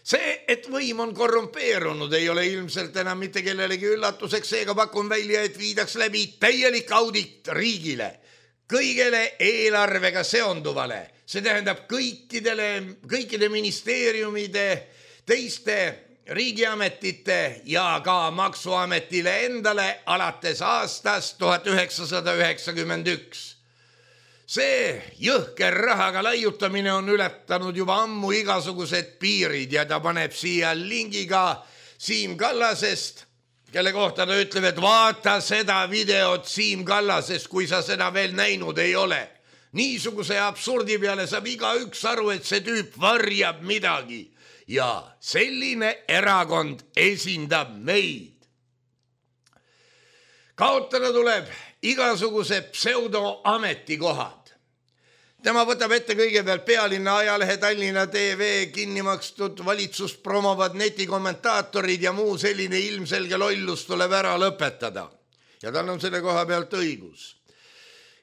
See, et võim on korrumpeerunud, ei ole ilmselt enam mitte kellelegi üllatuseks, seega pakun välja, et viidaks läbi täielik audit riigile, kõigele eelarvega seonduvale. See tähendab kõikidele, kõikide ministeeriumide, teiste riigiametite ja ka maksuametile endale alates aastast tuhat üheksasada üheksakümmend üks. See jõhker rahaga laiutamine on ületanud juba ammu igasugused piirid ja ta paneb siia lingiga Siim Kallasest, kelle kohta ta ütleb, et vaata seda videot Siim Kallasest, kui sa seda veel näinud ei ole. Niisuguse absurdi peale saab igaüks aru, et see tüüp varjab midagi ja selline erakond esindab meid. Kaotada tuleb igasuguse pseudoametikohad. Tema võtab ette kõigepealt Pealinna ajalehe, Tallinna T V, kinni makstud valitsust promovad netikommentaatorid ja muu selline ilmselge lollus tuleb ära lõpetada. Ja tal on selle koha pealt õigus.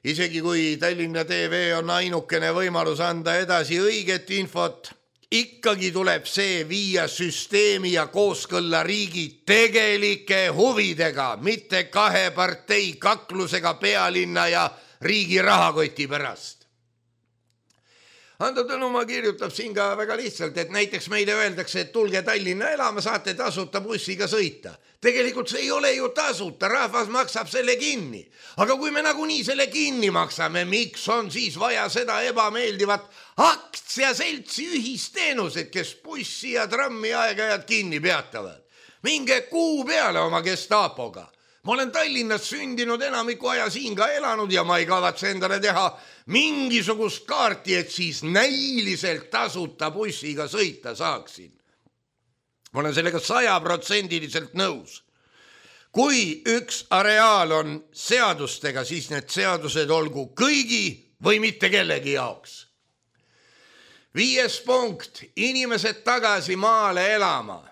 Isegi kui Tallinna T V on ainukene võimalus anda edasi õiget infot, ikkagi tuleb see viia süsteemi ja kooskõlla riigi tegelike huvidega, mitte kahe partei kaklusega Pealinna ja riigi rahakoti pärast. Ando Tõnumaa kirjutab siin ka väga lihtsalt, et näiteks meile öeldakse, et tulge Tallinna elama, saate tasuta bussiga sõita. Tegelikult see ei ole ju tasuta, rahvas maksab selle kinni. Aga kui me nagunii selle kinni maksame, miks on siis vaja seda ebameeldivat aktsiaseltsi ühisteenused, kes bussi ja trammi aeg-ajad kinni peatavad? Minge kuu peale oma Gestapoga. Ma olen Tallinnas sündinud, enamiku aja siin ka elanud ja ma ei kavatse endale teha mingisugust kaarti, et siis näiliselt tasuta bussiga sõita saaksin. Ma olen sellega sajaprotsendiliselt nõus. Kui üks areaal on seadustega, siis need seadused olgu kõigi või mitte kellegi jaoks. Viies punkt, inimesed tagasi maale elama.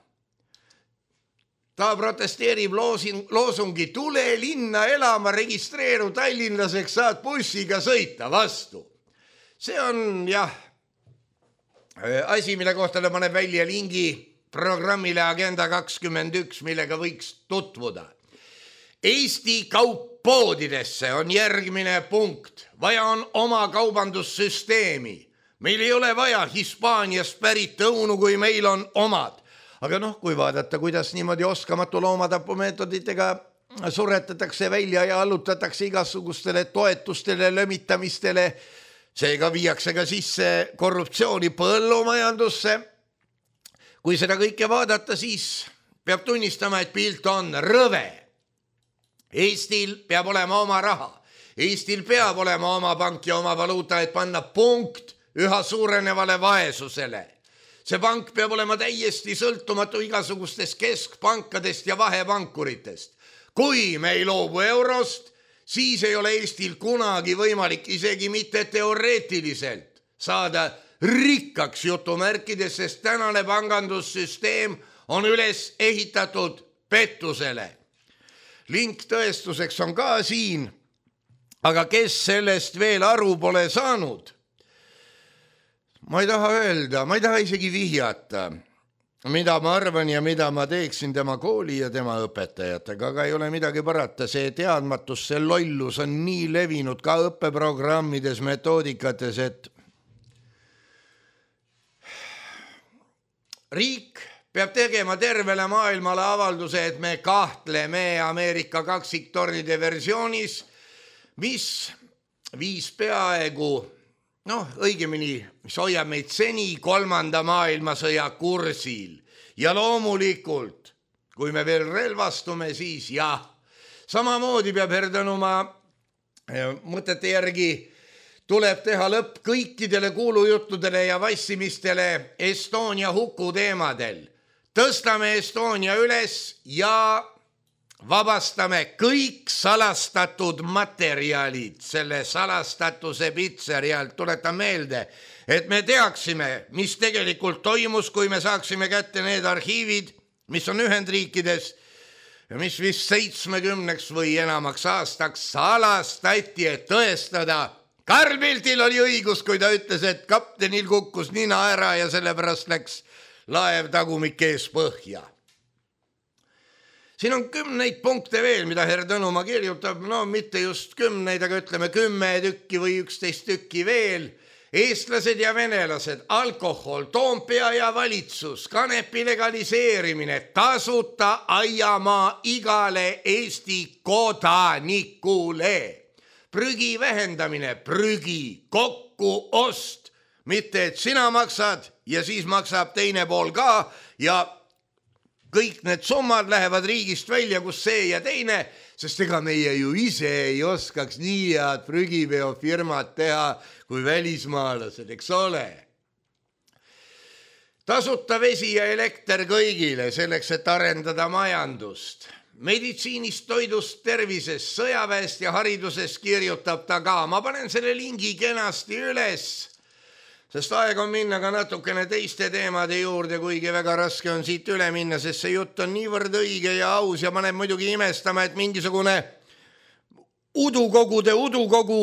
Ta protesteerib loosungi, tule linna elama, registreeru tallinlaseks, saad bussiga sõita vastu. See on jah asi, mille kohta ta paneb välja lingi programmile Agenda kakskümmend üks, millega võiks tutvuda. Eesti kauppoodidesse on järgmine punkt. Vaja on oma kaubandussüsteemi. Meil ei ole vaja Hispaaniast pärit õunu, kui meil on omad. Aga noh, kui vaadata, kuidas niimoodi oskamatu loomatapumeetoditega suretatakse välja ja allutatakse igasugustele toetustele, lömitamistele, seega viiakse ka sisse korruptsiooni põllumajandusse. Kui seda kõike vaadata, siis peab tunnistama, et pilt on rõve. Eestil peab olema oma raha. Eestil peab olema oma pank ja oma valuuta, et panna punkt üha suurenevale vaesusele. See pank peab olema täiesti sõltumatu igasugustest keskpankadest ja vahepankuritest. Kui me ei loobu eurost, siis ei ole Eestil kunagi võimalik isegi mitte teoreetiliselt saada rikkaks jutumärkides, sest tänane pangandussüsteem on üles ehitatud pettusele. Link tõestuseks on ka siin, aga kes sellest veel aru pole saanud? Ma ei taha öelda, ma ei taha isegi vihjata, mida ma arvan ja mida ma teeksin tema kooli ja tema õpetajatega, aga ei ole midagi parata. See teadmatus, see lollus on nii levinud ka õppeprogrammides, metoodikates, et riik peab tegema tervele maailmale avalduse, et me kahtleme Ameerika kaksiktornide versioonis, mis viis peaaegu noh, õigemini, mis hoiab meid seni kolmanda maailmasõja kursil. Ja loomulikult, kui me veel relvastume, siis jah, samamoodi peab Herdanuma mõtete järgi tuleb teha lõpp kõikidele kuulujuttudele ja vassimistele Estonia huku teemadel. Tõstame Estonia üles ja vabastame kõik salastatud materjalid selle salastatuse pitserialt. Tuletan meelde, et me teaksime, mis tegelikult toimus, kui me saaksime kätte need arhiivid, mis on Ühendriikides ja mis vist seitsmekümneks või enamaks aastaks salastati, et tõestada. Karl Bildtil oli õigus, kui ta ütles, et kaptenil kukkus nina ära ja sellepärast läks laev tagumik ees põhja. Siin on kümneid punkte veel, mida Herdanuma kirjutab, no mitte just kümneid, aga ütleme kümme tükki või üksteist tükki veel. Eestlased ja venelased, alkohol, Toompea ja valitsus, kanepi legaliseerimine, tasuta aiamaa igale Eesti kodanikule, prügi vähendamine, prügi kokkuost, mitte et sina maksad ja siis maksab teine pool ka ja kõik need summad lähevad riigist välja, kus see ja teine, sest ega meie ju ise ei oskaks nii head prügiveofirmat teha kui välismaalased, eks ole. Tasuta vesi ja elekter kõigile selleks, et arendada majandust. Meditsiinist, toidust, tervisest, sõjaväest ja haridusest kirjutab ta ka. Ma panen selle lingi kenasti üles, sest aeg on minna ka natukene teiste teemade juurde, kuigi väga raske on siit üle minna, sest see jutt on niivõrd õige ja aus ja paneb muidugi imestama, et mingisugune udukogude udukogu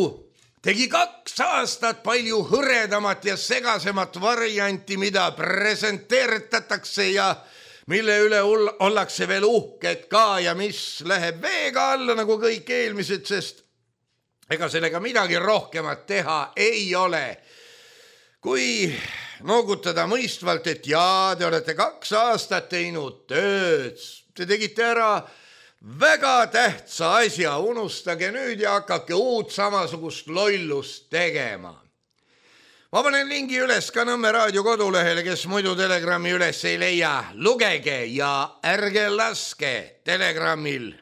tegi kaks aastat palju hõredamat ja segasemat varianti, mida presenteeritatakse ja mille üle ollakse veel uhked ka ja mis läheb veega alla nagu kõik eelmised, sest ega sellega midagi rohkemat teha ei ole. Kui noogutada mõistvalt, et jaa, te olete kaks aastat teinud tööd, te tegite ära väga tähtsa asja, unustage nüüd ja hakake uut samasugust lollust tegema. Ma panen lingi üles ka Nõmme raadio kodulehele, kes muidu Telegrami üles ei leia. Lugege ja ärge laske Telegrammil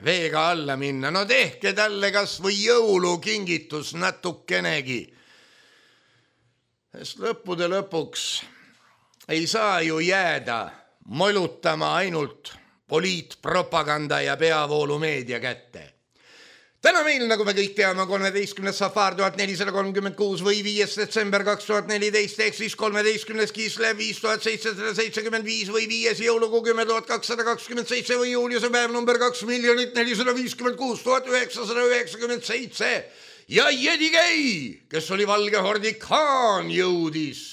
veega alla minna. No tehke talle kas või jõulukingitus natukenegi. Sest lõppude lõpuks ei saa ju jääda molutama ainult poliitpropaganda ja peavoolumeedia kätte. Täna meil, nagu me kõik teame, kolmeteistkümnes Safar tuhat nelisada kolmkümmend kuus või viies detsember kaks tuhat neliteist, ehk siis kolmeteistkümnes Kislev viis tuhat seitsesada seitsekümmend viis või viies jõulukuu kümme tuhat kakssada kakskümmend seitse või juuliuse päev number kaks miljonit nelisada viiskümmend kuus tuhat üheksasada üheksakümmend seitse ja Jedigei, kes oli valge hordi Khaan, jõudis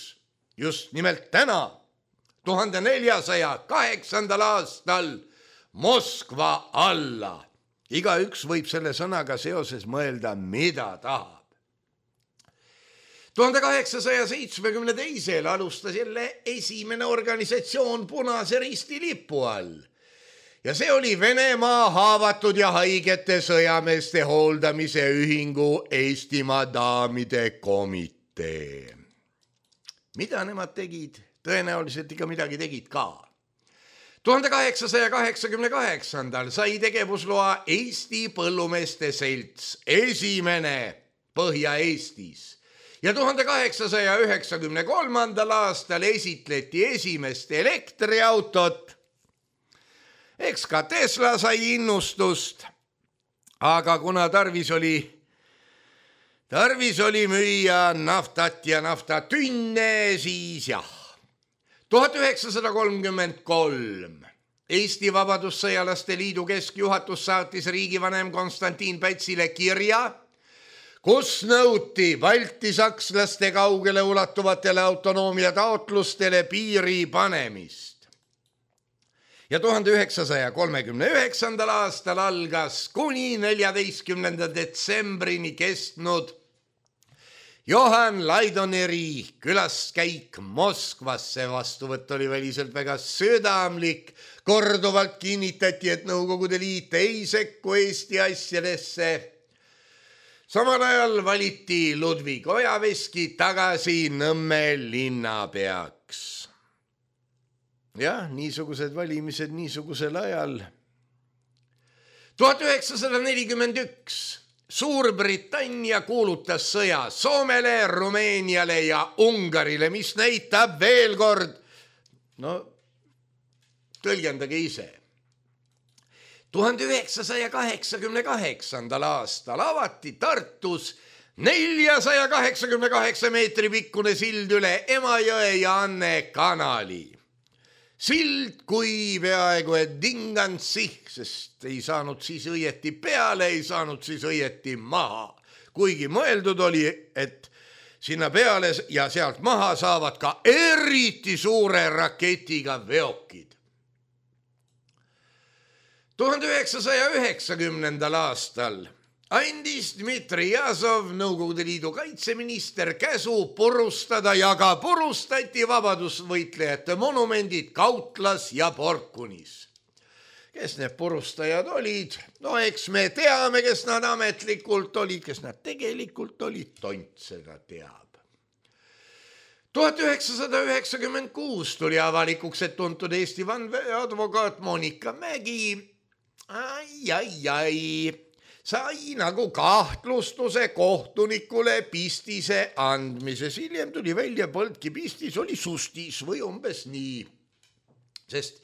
just nimelt täna, tuhande neljasaja kaheksandal aastal Moskva alla. Igaüks võib selle sõnaga seoses mõelda, mida tahab. tuhande kaheksasaja seitsmekümne teisel alustas jälle esimene organisatsioon Punase Risti lipu all. ja see oli Venemaa haavatud ja haigete sõjameeste hooldamise ühingu Eestimaa daamide komitee. Mida nemad tegid? Tõenäoliselt ikka midagi tegid ka. tuhande kaheksasaja kaheksakümne kaheksandal sai tegevusloa Eesti Põllumeeste Selts, esimene Põhja-Eestis. Ja tuhande kaheksasaja üheksakümne kolmandal aastal esitleti esimest elektriautot. Eks ka Tesla sai innustust, aga kuna tarvis oli, tarvis oli müüa naftat ja naftatünne, siis jah. tuhat üheksasada kolmkümmend kolm Eesti Vabadussõjalaste Liidu keskjuhatus saatis riigivanem Konstantin Pätsile kirja, kus nõuti baltisakslaste kaugele ulatuvatele autonoomia taotlustele piiri panemist. Ja tuhande üheksasaja kolmekümne üheksandal aastal algas kuni neljateistkümnenda detsembrini kestnud Johan Laidoneri külaskäik Moskvasse. Vastuvõtt oli väliselt väga südamlik. Korduvalt kinnitati, et Nõukogude Liit ei sekku Eesti asjadesse. Samal ajal valiti Ludvig Ojaveski tagasi Nõmme linnapeaks. Jah, niisugused valimised niisugusel ajal. tuhat üheksasada nelikümmend üks Suurbritannia kuulutas sõja Soomele, Rumeeniale ja Ungarile, mis näitab veel kord, no tõlgendage ise. tuhande üheksasaja kaheksakümne kaheksandal aastal avati Tartus neljasaja kaheksakümne kaheksa meetri pikkune sild üle Emajõe ja Anne kanali. Sild kui peaaegu et dingansih, sest ei saanud siis õieti peale, ei saanud siis õieti maha. Kuigi mõeldud oli, et sinna peale ja sealt maha saavad ka eriti suure raketiga veokid. tuhande üheksasaja üheksakümnendal aastal andis Dmitri Jazov, Nõukogude Liidu kaitseminister, käsu purustada ja ka purustati vabadusvõitlejate monumendid Kautlas ja Porkunis. Kes need purustajad olid? No eks me teame, kes nad ametlikult olid, kes nad tegelikult olid, tont seda teab. tuhat üheksasada üheksakümmend kuus tuli avalikuks, et tuntud Eesti vandeadvokaat Monika Mägi ai, ai, ai, sai nagu kahtlustuse kohtunikule pistise andmises. Hiljem tuli välja, polnudki pistis, oli sustis või umbes nii. Sest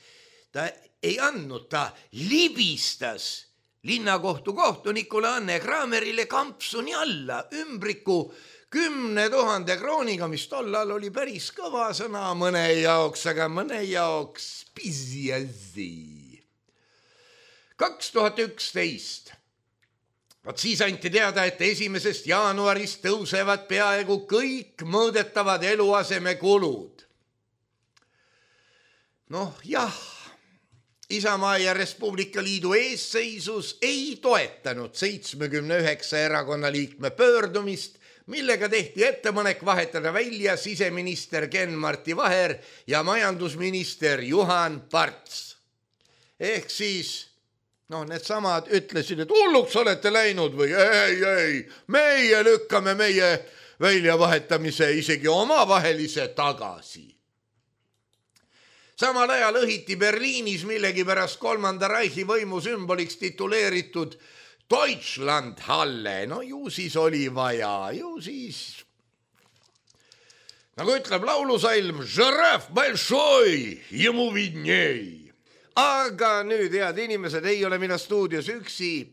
ta ei andnud, ta libistas linnakohtu kohtunikule Anne Kramerile kampsuni alla ümbriku kümne tuhande krooniga, mis tollal oli päris kõva sõna mõne jaoks, aga mõne jaoks pisiasi. kaks tuhat üksteist Vaat siis anti teada, et esimesest jaanuarist tõusevad peaaegu kõik mõõdetavad eluasemekulud. Noh, jah, Isamaa ja Res Publica Liidu eesseisus ei toetanud seitsmekümne üheksa erakonna liikme pöördumist, millega tehti ettepanek vahetada välja siseminister Ken-Marti Vaher ja majandusminister Juhan Parts. Ehk siis noh, need samad ütlesid, et hulluks olete läinud või ei, ei, meie lükkame meie väljavahetamise isegi omavahelise tagasi. Samal ajal õhiti Berliinis millegipärast kolmanda Reichi võimu sümboliks tituleeritud Deutschlandhalle. No ju siis oli vaja, ju siis, nagu ütleb laulusalm, žiraf большой, ему видней. Aga nüüd, head inimesed, ei ole mina stuudios üksi.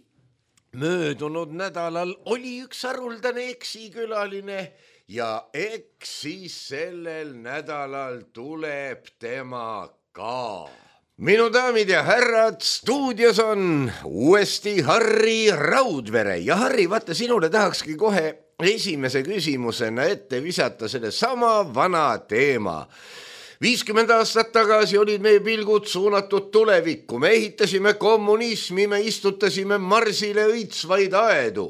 Möödunud nädalal oli üks haruldane eksikülaline ja eks siis sellel nädalal tuleb tema ka. Minu daamid ja härrad, stuudios on uuesti Harri Raudvere. Ja Harri, vaata, sinule tahakski kohe esimese küsimusena ette visata selle sama vana teema. viiskümmend aastat tagasi olid meie pilgud suunatud tulevikku. Me ehitasime kommunismi, me istutasime Marsile õitsvaid aedu.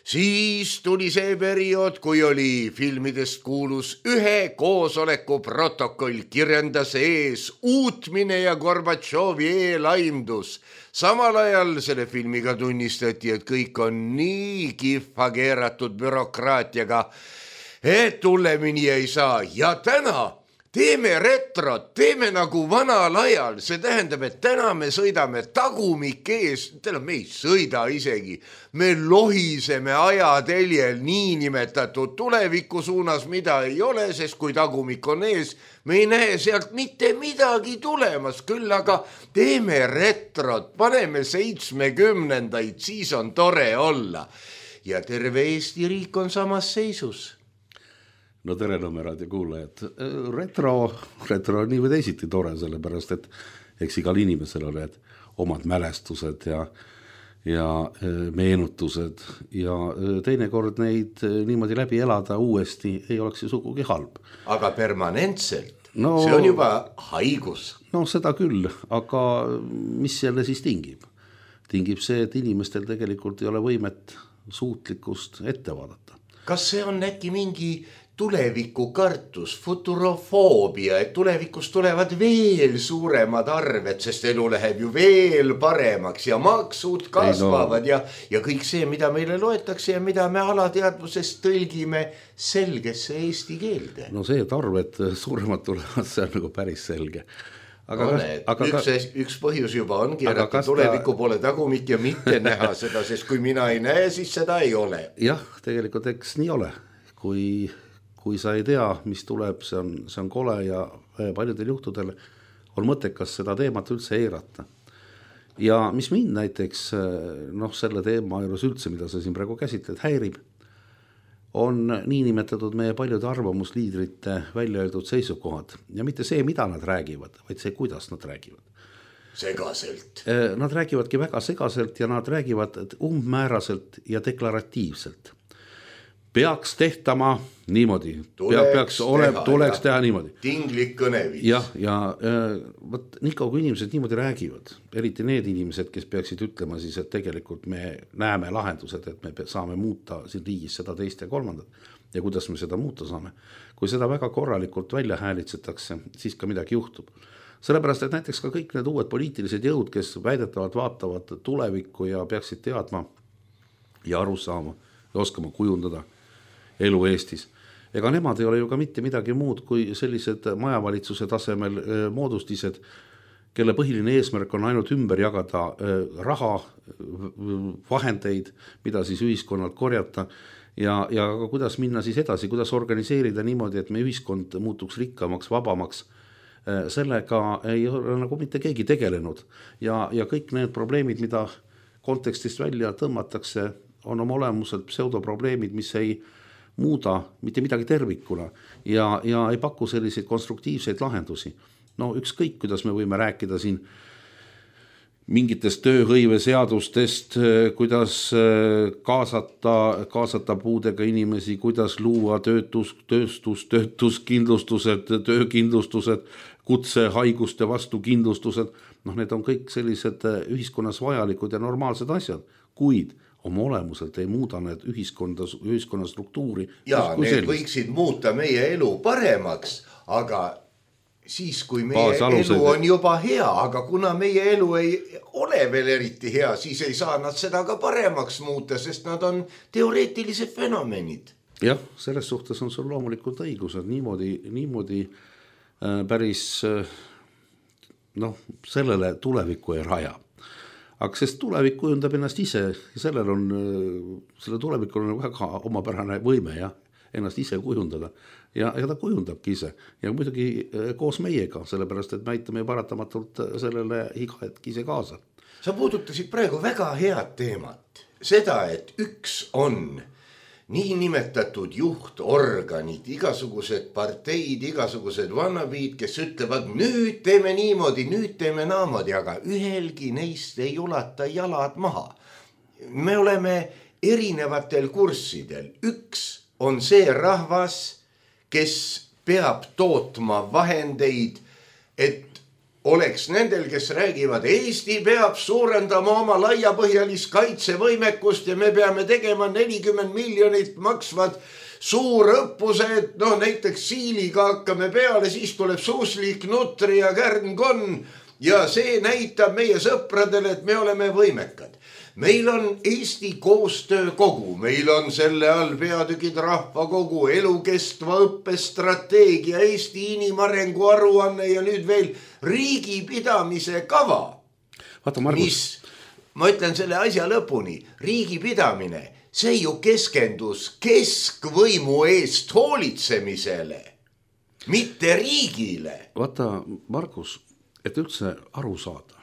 Siis tuli see periood, kui oli filmidest kuulus ühe koosoleku protokoll, kirjendas ees uutmine ja Gorbatšovi eelaimdus. Samal ajal selle filmiga tunnistati, et kõik on nii kihva keeratud bürokraatiaga, et hullemini ei saa. Ja täna teeme retrot, teeme nagu vanal ajal, see tähendab, et täna me sõidame tagumik ees, tähendab, me ei sõida isegi, me lohiseme ajateljel niinimetatud tuleviku suunas, mida ei ole, sest kui tagumik on ees, me ei näe sealt mitte midagi tulemas, küll aga teeme retrot, paneme seitsmekümnendaid, siis on tore olla. Ja terve Eesti riik on samas seisus. No tere Nõmme kuulajad. Retro, retro on nii või teisiti tore, sellepärast, et eks igal inimesel oled omad mälestused ja, ja meenutused ja teinekord neid niimoodi läbi elada uuesti ei oleks ju sugugi halb. Aga permanentselt, no, see on juba haigus. No seda küll, aga mis jälle siis tingib? Tingib see, et inimestel tegelikult ei ole võimet suutlikkust ette vaadata. Kas see on äkki mingi tuleviku kartus, futurofoobia, et tulevikus tulevad veel suuremad arved, sest elu läheb ju veel paremaks ja maksud kasvavad no. ja, ja kõik see, mida meile loetakse ja mida me alateadvusest tõlgime selgesse eesti keelde. No see, et arved suuremad tulevad, see on nagu päris selge. Aga no, kas, aga üks, ka... üks põhjus juba ongi, et tuleviku ta... pole tagumik ja mitte näha seda, sest kui mina ei näe, siis seda ei ole. Jah, tegelikult eks nii ole, kui... kui sa ei tea, mis tuleb, see on, see on kole ja paljudel juhtudel on mõttekas seda teemat üldse eirata. Ja mis mind näiteks noh, selle teema juures üldse, mida sa siin praegu käsitled, häirib, on niinimetatud meie paljude arvamusliidrite välja öeldud seisukohad. Ja mitte see, mida nad räägivad, vaid see, kuidas nad räägivad. Segaselt. Nad räägivadki väga segaselt ja nad räägivad umbmääraselt ja deklaratiivselt. Peaks tehtama niimoodi. Tuleks, peaks ole, teha, tuleks teha niimoodi. Tinglik kõneviis. Ja, ja võt, nii kaua kui inimesed niimoodi räägivad, eriti need inimesed, kes peaksid ütlema siis, et tegelikult me näeme lahendused, et me saame muuta siin riigis seda teist ja kolmandat ja kuidas me seda muuta saame. Kui seda väga korralikult välja häälitsetakse, siis ka midagi juhtub. Sellepärast, et näiteks ka kõik need uued poliitilised jõud, kes väidetavad vaatavad tulevikku ja peaksid teadma ja aru saama ja oskama kujundada elu Eestis. Ega nemad ei ole ju ka mitte midagi muud kui sellised majavalitsuse tasemel moodustised, kelle põhiline eesmärk on ainult ümber jagada raha, vahendeid, mida siis ühiskonnalt korjata ja, ja kuidas minna siis edasi, kuidas organiseerida niimoodi, et me ühiskond muutuks rikkamaks, vabamaks. Sellega ei ole nagu mitte keegi tegelenud ja, ja kõik need probleemid, mida kontekstist välja tõmmatakse, on oma olemuselt pseudoprobleemid, mis ei muuda mitte midagi tervikuna ja, ja ei paku selliseid konstruktiivseid lahendusi. No ükskõik, kuidas me võime rääkida siin mingitest tööhõiveseadustest, kuidas kaasata, kaasata puudega inimesi, kuidas luua töötus, tööstus, töötuskindlustused, töökindlustused, kutsehaiguste vastu kindlustused. Noh, need on kõik sellised ühiskonnas vajalikud ja normaalsed asjad, kuid oma olemuselt ei muuda need ühiskonda, ühiskonna struktuuri. Ja need sellist. Võiksid muuta meie elu paremaks, aga siis, kui meie Baasalused. Elu on juba hea, aga kuna meie elu ei ole veel eriti hea, siis ei saa nad seda ka paremaks muuta, sest nad on teoreetilised fenomenid. Jah, selles suhtes on sul loomulikult õigus, et niimoodi, niimoodi äh, päris äh, noh, sellele tulevikku ei raja. Aga sest tulevik kujundab ennast ise ja sellel on, selle tulevikul on väga omapärane võime ja ennast ise kujundada ja, ja ta kujundabki ise ja muidugi koos meiega, sellepärast, et me aitame paratamatult sellele iga hetk ise kaasa. Sa puudutasid praegu väga head teemat, seda, et üks on niinimetatud juhtorganid, igasugused parteid, igasugused vannabiid, kes ütlevad, nüüd teeme niimoodi, nüüd teeme naamoodi, aga ühelgi neist ei ulata jalad maha. Me oleme erinevatel kurssidel. Üks on see rahvas, kes peab tootma vahendeid, et oleks nendel, kes räägivad, Eesti peab suurendama oma laiapõhjalist kaitsevõimekust ja me peame tegema nelikümmend miljonit maksvad suurõppused, no näiteks siiliga hakkame peale, siis tuleb suuslik, nutri ja kärnkonn ja see näitab meie sõpradele, et me oleme võimekad. Meil on Eesti koostöökogu, meil on selle all peatükid rahvakogu, elukestva õppestrateegia, Eesti inimarengu aruanne ja nüüd veel riigipidamise kava. Vaata, Margus. Mis, ma ütlen selle asja lõpuni, riigipidamine, see ju keskendus keskvõimu eest hoolitsemisele, mitte riigile. Vaata, Margus, et üldse aru saada,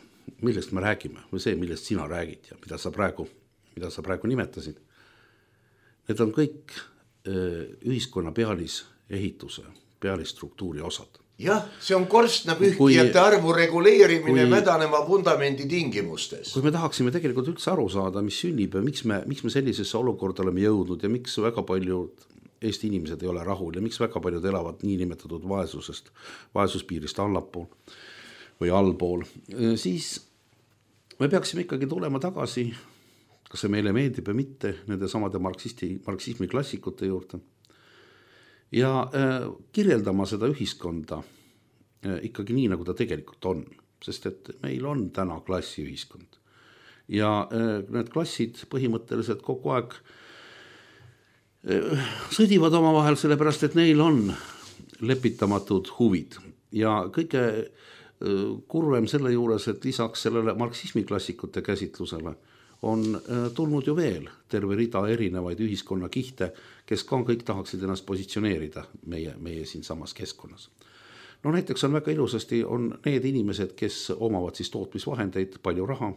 millest me räägime või see, millest sina räägid ja mida sa praegu, mida sa praegu nimetasid. Need on kõik ühiskonna pealisehituse, pealisstruktuuri osad. Jah, see on korstnapühkijate arvu reguleerimine kui, mädaneva vundamendi tingimustes. Kui me tahaksime tegelikult üldse aru saada, mis sünnib ja miks me, miks me sellisesse olukorda oleme jõudnud ja miks väga paljud Eesti inimesed ei ole rahul ja miks väga paljud elavad nii nimetatud vaesusest, vaesuspiirist allapool või allpool, siis me peaksime ikkagi tulema tagasi, kas see meile meeldib ja mitte, nende samade marksisti, marksismi klassikute juurde ja äh, kirjeldama seda ühiskonda äh, ikkagi nii, nagu ta tegelikult on, sest et meil on täna klassiühiskond ja äh, need klassid põhimõtteliselt kogu aeg äh, sõdivad oma vahel, sellepärast et neil on lepitamatud huvid ja kõige kurvem selle juures, et lisaks sellele marksismi klassikute käsitlusele on tulnud ju veel terve rida erinevaid ühiskonna kihte, kes ka kõik tahaksid ennast positsioneerida meie, meie siin samas keskkonnas. No näiteks on väga ilusasti on need inimesed, kes omavad siis tootmisvahendeid, palju raha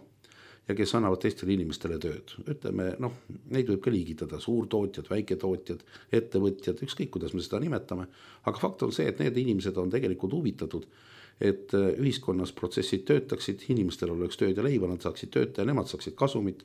ja kes annavad teistele inimestele tööd. Ütleme, noh, neid võib ka liigitada, suurtootjad, väiketootjad, ettevõtjad, ükskõik kuidas me seda nimetame, aga fakt on see, et need inimesed on tegelikult huvitatud, et ühiskonnas protsessid töötaksid, inimestel oleks tööd ja leiva, nad saaksid tööta ja nemad saaksid kasumit.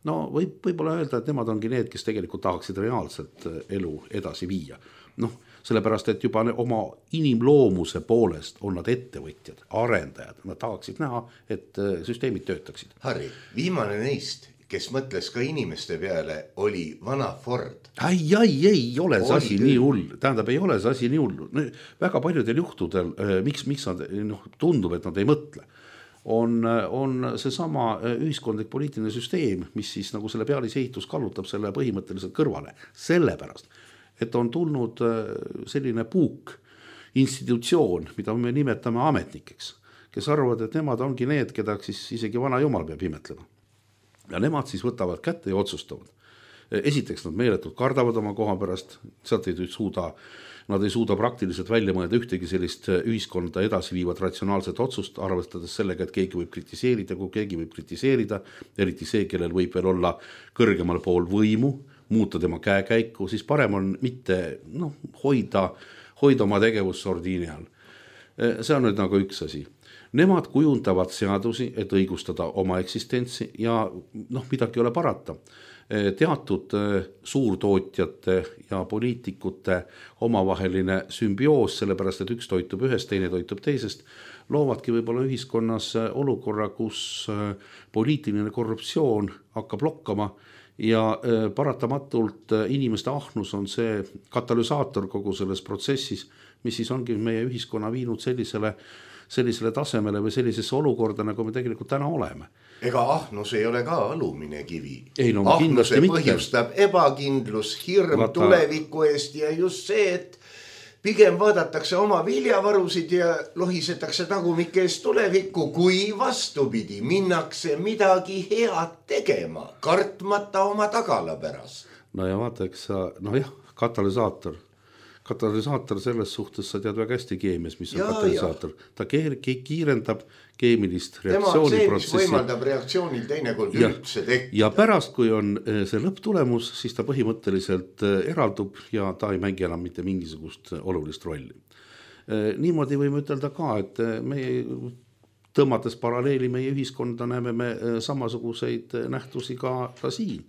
No võib, võib-olla öelda, et nemad ongi need, kes tegelikult tahaksid reaalselt elu edasi viia. Noh, sellepärast, et juba oma inimloomuse poolest on nad ettevõtjad, arendajad, nad tahaksid näha, et süsteemid töötaksid. Harri, viimane neist, kes mõtles ka inimeste peale, oli vana Ford. Ai, ai, ei ole see asi nii hull. Tähendab, ei ole see asi nii hull. Väga paljudel juhtudel, miks, miks nad noh, tundub, et nad ei mõtle, on, on see sama ühiskondlik poliitiline süsteem, mis siis nagu selle pealisehitus kallutab selle põhimõtteliselt kõrvale. Sellepärast, et on tulnud selline puuk institutsioon, mida me nimetame ametnikeks, kes arvavad, et nemad ongi need, keda siis isegi vana jumal peab imetlema. Ja nemad siis võtavad kätte ja otsustavad. Esiteks nad meeletult kardavad oma koha pärast, sealt ei suuda, nad ei suuda praktiliselt välja mõelda ühtegi sellist ühiskonda edasi viivat ratsionaalset otsust, arvestades sellega, et keegi võib kritiseerida, kui keegi võib kritiseerida, eriti see, kellel võib veel olla kõrgemal pool võimu, muuta tema käekäiku, siis parem on mitte noh, hoida, hoida oma tegevus sordiini all. See on nüüd nagu üks asi. Nemad kujundavad seadusi, et õigustada oma eksistentsi ja noh, midagi ei ole parata. Teatud suurtootjate ja poliitikute omavaheline sümbioos, sellepärast et üks toitub ühest, teine toitub teisest, loovadki võib-olla ühiskonnas olukorra, kus poliitiline korruptsioon hakkab lokkama ja paratamatult inimeste ahnus on see katalüsaator kogu selles protsessis, mis siis ongi meie ühiskonna viinud sellisele sellisele tasemele või sellisesse olukorda, nagu me tegelikult täna oleme. Ega ahnus ei ole ka alumine kivi. Ei, no, ahnuse põhjustab ebakindlus, hirm Vaata... tuleviku eest ja just see, et pigem vaadatakse oma viljavarusid ja lohisetakse tagumike eest tulevikku, kui vastupidi, minnakse midagi head tegema, kartmata oma tagala pärast. No ja vaata, eks sa, no jah, katalüsaator. Katalüsaator selles suhtes sa tead väga hästi keemias, mis on ja, katalüsaator. Ja. Ta kiirendab keemilist reaktsiooniprotsessi. Tema on see, mis võimaldab reaktsioonil teinekord ja, üldse tekkida. Ja pärast, kui on see lõpptulemus, siis ta põhimõtteliselt eraldub ja ta ei mängi enam mitte mingisugust olulist rolli. Niimoodi võime ütelda ka, et me tõmmates paralleeli meie ühiskonda näeme me samasuguseid nähtusi ka, ka siin.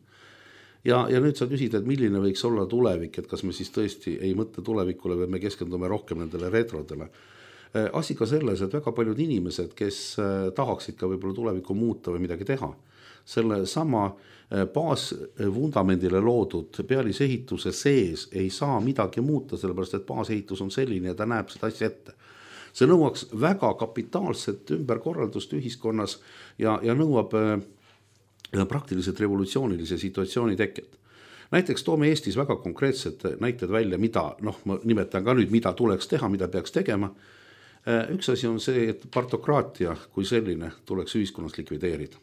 Ja, ja nüüd sa küsid, et milline võiks olla tulevik, et kas me siis tõesti ei mõtle tulevikule või me keskendume rohkem nendele retrodele. asi ka selles, et väga paljud inimesed, kes tahaksid ka võib-olla tulevikku muuta või midagi teha, selle sama baasvundamendile loodud pealisehituse sees ei saa midagi muuta, sellepärast et baasehitus on selline ja ta näeb seda asja ette. See nõuaks väga kapitaalset ümberkorraldust ühiskonnas ja, ja nõuab praktiliselt revolutsioonilise situatsiooni teket. Näiteks toome Eestis väga konkreetsed näited välja, mida, noh, ma nimetan ka nüüd, mida tuleks teha, mida peaks tegema. Üks asi on see, et partokraatia kui selline tuleks ühiskonnas likvideerida.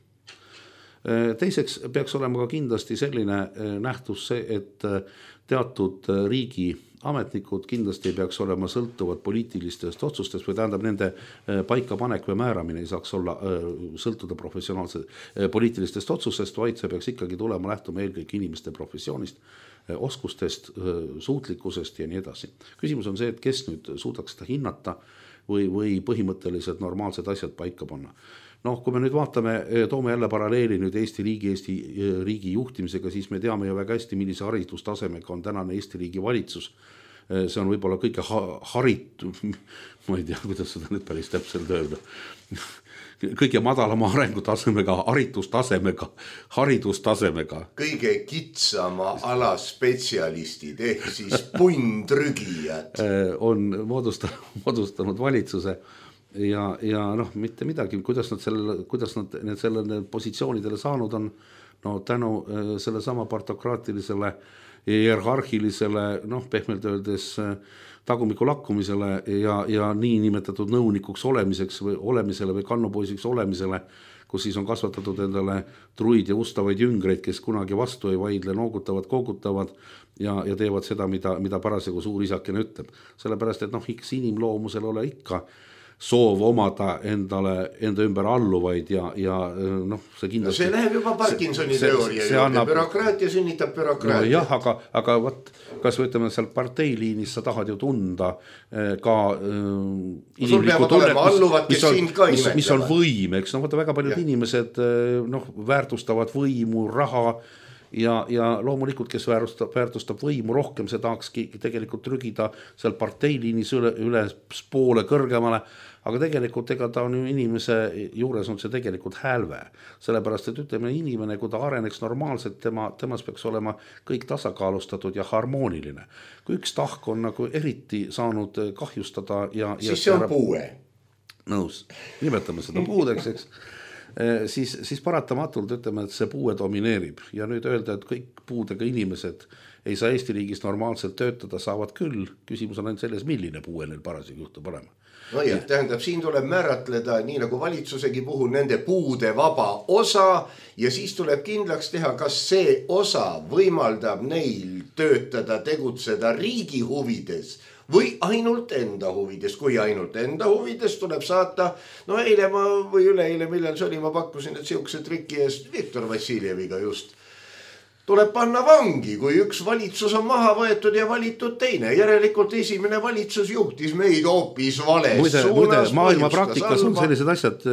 Teiseks peaks olema ka kindlasti selline nähtus see, et teatud riigi ametnikud kindlasti ei peaks olema sõltuvad poliitilistest otsustest või tähendab nende paikapanek või määramine ei saaks olla sõltuda professionaalse poliitilistest otsustest, vaid see peaks ikkagi tulema lähtuma eelkõige inimeste professioonist, oskustest, suutlikkusest ja nii edasi. Küsimus on see, et kes nüüd suudaks seda hinnata või, või põhimõtteliselt normaalsed asjad paika panna. Noh, kui me nüüd vaatame, toome jälle paralleeli nüüd Eesti riigi, Eesti riigi juhtimisega, siis me teame ju väga hästi, millise haridustasemega on tänane Eesti riigi valitsus. See on võib-olla kõige haritu, ma ei tea, kuidas seda nüüd päris täpselt öelda, kõige madalama arengutasemega, haridustasemega, haridustasemega. Kõige kitsama ala spetsialistid ehk siis punntrügijad on moodustanud valitsuse. Ja, ja noh, mitte midagi, kuidas nad, selle, kuidas nad need sellele positsioonidele saanud on, no tänu selle sama partokraatilisele ja hierarhilisele, noh, pehmelt öeldes tagumiku lakkumisele ja, ja nii nimetatud nõunikuks olemiseks või olemisele või kannupoisiks olemisele, kus siis on kasvatatud endale truid ja ustavaid jüngreid, kes kunagi vastu ei vaidle, noogutavad, koogutavad ja, ja teevad seda, mida, mida parasjagu suur isakene ütleb. Sellepärast, et noh, iks inimloomusel ole ikka soov omada endale, enda ümber alluvaid ja, ja noh, see kindlasti... No see läheb juba Parkinsoni see, teooria see, see annab... bürokraatia sünnitab bürokraatia. No jah, aga, aga võt, kas võtame seal parteiliinis, sa tahad ju tunda ka äh, inimlikku tunnet, mis, mis, on, mis, mis on võim, eks no võtta väga paljud ja. Inimesed noh, väärtustavad võimu, raha ja, ja loomulikult, kes väärtustab, väärtustab võimu rohkem, see tahakski tegelikult trügida seal parteiliinis üle, üle poole kõrgemale, aga tegelikult ega ta on ju inimese juures on see tegelikult hälve. Sellepärast, et ütleme inimene, kui ta areneks normaalselt, tema, temas peaks olema kõik tasakaalustatud ja harmooniline. Kui üks tahk on nagu eriti saanud kahjustada ja... Siis ja see on puue. Nõus, nimetame seda puudeks, eks. Siis, siis paratamatult ütleme, et see puue domineerib ja nüüd öelda, et kõik puudega inimesed ei saa Eesti riigis normaalselt töötada, saavad küll. Küsimus on ainult selles, milline puue neil parasjagu juhtub olema. No jah, tähendab, siin tuleb määratleda nii nagu valitsusegi puhul nende puude vaba osa ja siis tuleb kindlaks teha, kas see osa võimaldab neil töötada, tegutseda riigi huvides või ainult enda huvides. Kui ainult enda huvides tuleb saata, no eile ma või üleeile, millal see oli, ma pakkusin, et siukse triki eest Viktor Vassiljeviga just tuleb panna vangi, kui üks valitsus on maha võetud ja valitud teine. Järelikult esimene valitsus juhtis meid hoopis vales muide, suunas. Muide, maailma praktikas on sellised asjad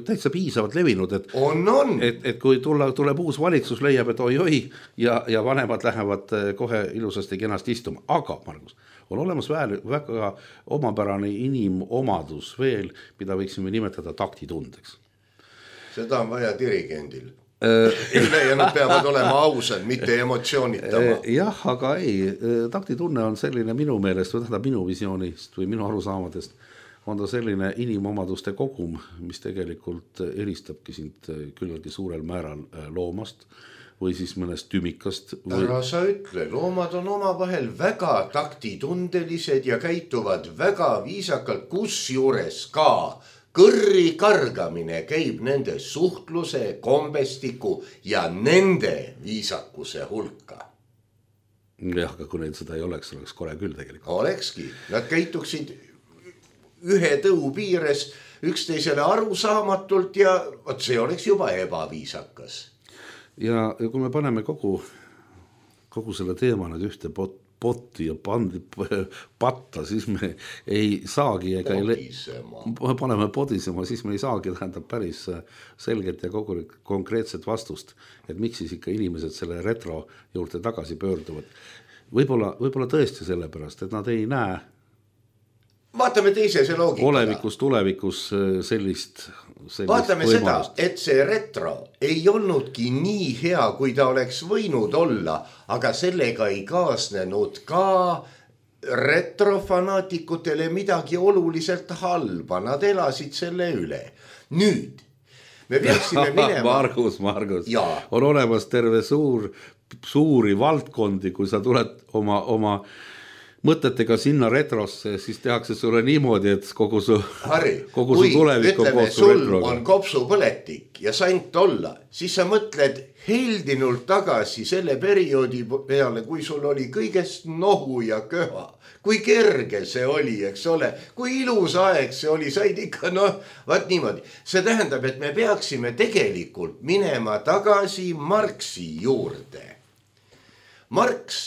täitsa piisavalt levinud, et, on, on. et, et kui tulla, tuleb uus valitsus, leiab, et oi-oi ja, ja vanemad lähevad kohe ilusasti kenasti istuma. Aga, Margus, on olemas väl, väga omapärane inimomadus veel, mida võiksime nimetada taktitundeks. Seda on vaja dirigendil. ja nad peavad olema ausad, mitte emotsioonitama. Jah, aga ei, taktitunne on selline minu meelest, või tähendab minu visioonist või minu arusaamadest, on ta selline inimomaduste kogum, mis tegelikult eristabki sind küllaltki suurel määral loomast või siis mõnest tümikast. Või... Ära sa ütle, loomad on oma vahel väga taktitundelised ja käituvad väga viisakalt, kus juures ka kõrri kargamine käib nende suhtluse, kombestiku ja nende viisakuse hulka. Jah, aga kui neil seda ei oleks, oleks kole küll tegelikult. Olekski. Nad käituksid ühe tõu piires üksteisele arusaamatult ja võt see oleks juba ebaviisakas. Ja kui me paneme kogu, kogu selle teema nüüd ühte pot, potti ja pandi patta, siis me ei saagi ega podisema. Ei, paneme podisema, siis me ei saagi tähendab päris selget ja kogu konkreetset vastust, et miks siis ikka inimesed selle retro juurde tagasi pöörduvad. Võib-olla, võib-olla tõesti sellepärast, et nad ei näe vaatame teise see loogika. Olevikus, tulevikus sellist, sellist vaatame võimalust. Seda, et see retro ei olnudki nii hea, kui ta oleks võinud olla, aga sellega ei kaasnenud ka retrofanaatikutele midagi oluliselt halba, nad elasid selle üle. Nüüd me peaksime minema Margus, Margus, ja. On olemas terve suur, suuri valdkondi, kui sa tuled oma, oma mõtetega sinna retrosse, siis tehakse sulle niimoodi, et kogu su, Harri, kogu su tulevik on koos su retroga. Sul on kopsupõletik ja sant olla, siis sa mõtled heldinult tagasi selle perioodi peale, kui sul oli kõigest nohu ja köha. Kui kerge see oli, eks ole, kui ilus aeg see oli, said ikka, noh, vaat niimoodi. See tähendab, et me peaksime tegelikult minema tagasi Marxi juurde. Marx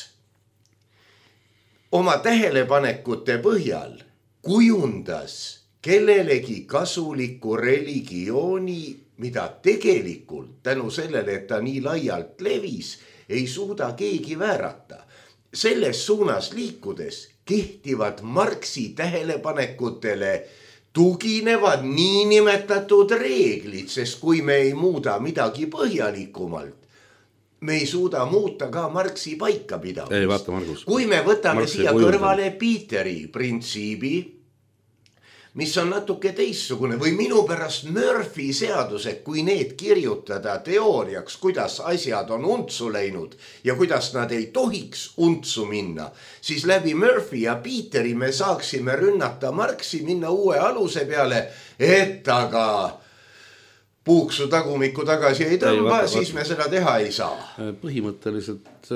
oma tähelepanekute põhjal kujundas kellelegi kasuliku religiooni, mida tegelikult tänu sellele, et ta nii laialt levis, ei suuda keegi väärata. Selles suunas liikudes kehtivad Marxi tähelepanekutele tuginevad niinimetatud reeglid, sest kui me ei muuda midagi põhjalikumalt, me ei suuda muuta ka Marxi paikapidamist. Ei, vaata, Margus. Kui me võtame Marxi siia kõrvale Peteri printsiibi, mis on natuke teissugune või minu pärast Murphy seadused, kui need kirjutada teooriaks, kuidas asjad on untsu läinud ja kuidas nad ei tohiks untsu minna, siis läbi Murphy ja Peteri me saaksime rünnata Marxi, minna uue aluse peale, et aga puuksu tagumikku tagasi ei tõmba, ei, siis me seda teha ei saa. Põhimõtteliselt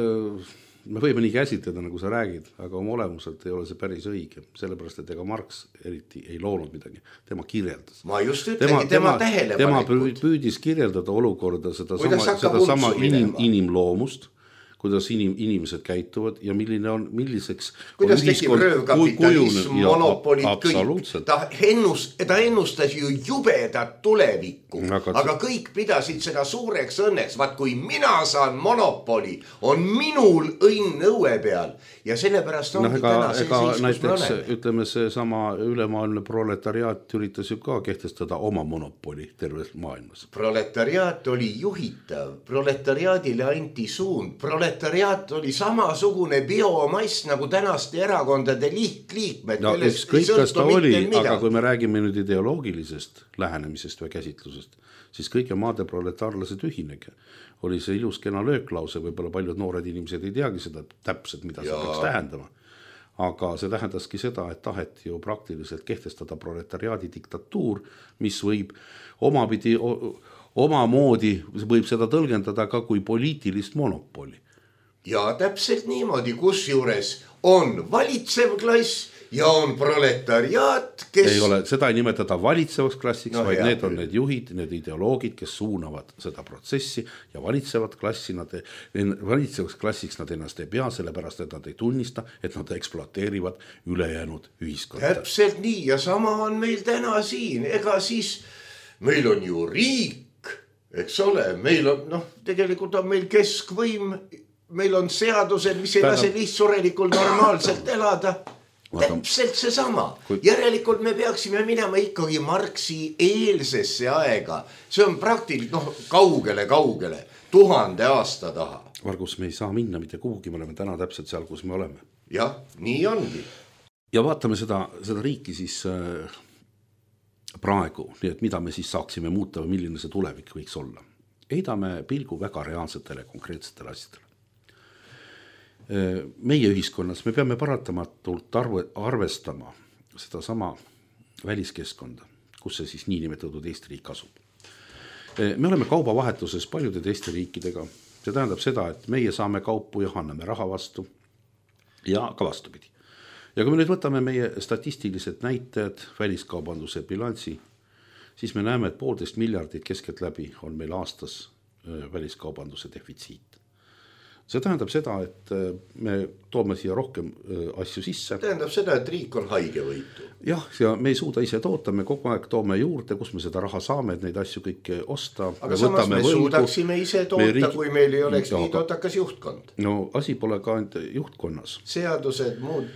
me võime nii käsitleda, nagu sa räägid, aga oma olemuselt ei ole see päris õige, sellepärast, et ega Marx eriti ei loonud midagi, tema kirjeldas. Ma just ütlengi, tema, tema tähelepanekud. Tema püüdis kirjeldada olukorda seda sama, seda sama inim, inimloomust, kuidas inim, inimesed käituvad ja milline on, milliseks kuidas on tekib röövkapitalism, monopolid, kõik. Ta, ennus, ta ennustas ju jubedat tulevikku, aga, aga kõik pidasid seda suureks õnneks. Vaat kui mina saan monopoli, on minul õnn õue peal ja sellepärast on no, ega, täna see ega, siis, kus näiteks, me oleme. Ütleme, see sama ülemaailmne proletariaat üritas ju ka kehtestada oma monopoli terves maailmas. Proletariaat oli juhitav, proletariaadile anti suund, proletariaat Proletariaat oli samasugune biomass nagu tänaste erakondade lihtliikmed. No, kõik kas ta oli, aga kui me räägime nüüd ideoloogilisest lähenemisest või käsitlusest, siis kõige maade proletaarlased ühinege. Oli see ilus kena lööklause, võib-olla paljud noored inimesed ei teagi seda täpselt, mida see peaks tähendama. Aga see tähendaski seda, et taheti ju praktiliselt kehtestada proletariaadi diktatuur, mis võib omapidi, oma moodi võib seda tõlgendada ka kui poliitilist monopoli. Ja täpselt niimoodi, kus juures on valitsev klass ja on proletariaat, kes... Ei ole, seda ei nimetada valitsevaks klassiks, no, vaid hea, need on need juhid, need ideoloogid, kes suunavad seda protsessi ja valitsevat klassi, nad, valitsevaks klassiks nad ennast ei pea, sellepärast, et nad ei tunnista, et nad ekspluateerivad ülejäänud ühiskonda. Täpselt nii ja sama on meil täna siin, ega siis meil on ju riik, eks ole, meil on, noh, tegelikult on meil keskvõim, meil on seadused, mis ei lase lihtsurelikul normaalselt elada. Täpselt see sama. Järelikult me peaksime minema ikkagi Marxi eelsesse aega. See on praktiliselt, noh, kaugele, kaugele, tuhande aasta taha. Margus, me ei saa minna mitte kuhugi, me oleme täna täpselt seal, kus me oleme. Jah, nii ongi. Ja vaatame seda, seda riiki siis äh, praegu, nii et mida me siis saaksime muuta või milline see tulevik võiks olla. Heidame pilgu väga reaalsetele, konkreetsetele asjadele. Meie ühiskonnas me peame paratamatult arve, arvestama seda sama väliskeskkonda, kus see siis niinimetatud Eesti riik asub. Me oleme kaubavahetuses paljude teiste riikidega. See tähendab seda, et meie saame kaupu ja anname raha vastu ja ka vastupidi. Ja kui me nüüd võtame meie statistilised näitajad, väliskaubanduse bilansi, siis me näeme, et poolteist miljardit keskelt läbi on meil aastas väliskaubanduse defitsiit. See tähendab seda, et me toome siia rohkem asju sisse. Tähendab seda, et riik on haige võitu. Jah, ja me ei suuda ise toota, me kogu aeg toome juurde, kus me seda raha saame, et neid asju kõike osta. Aga me samas me võlgu, suudaksime ise toota, riik... kui meil ei oleks ja, nii tootakas juhtkond. No asi pole ka ainult juhtkonnas. Seadused, muud.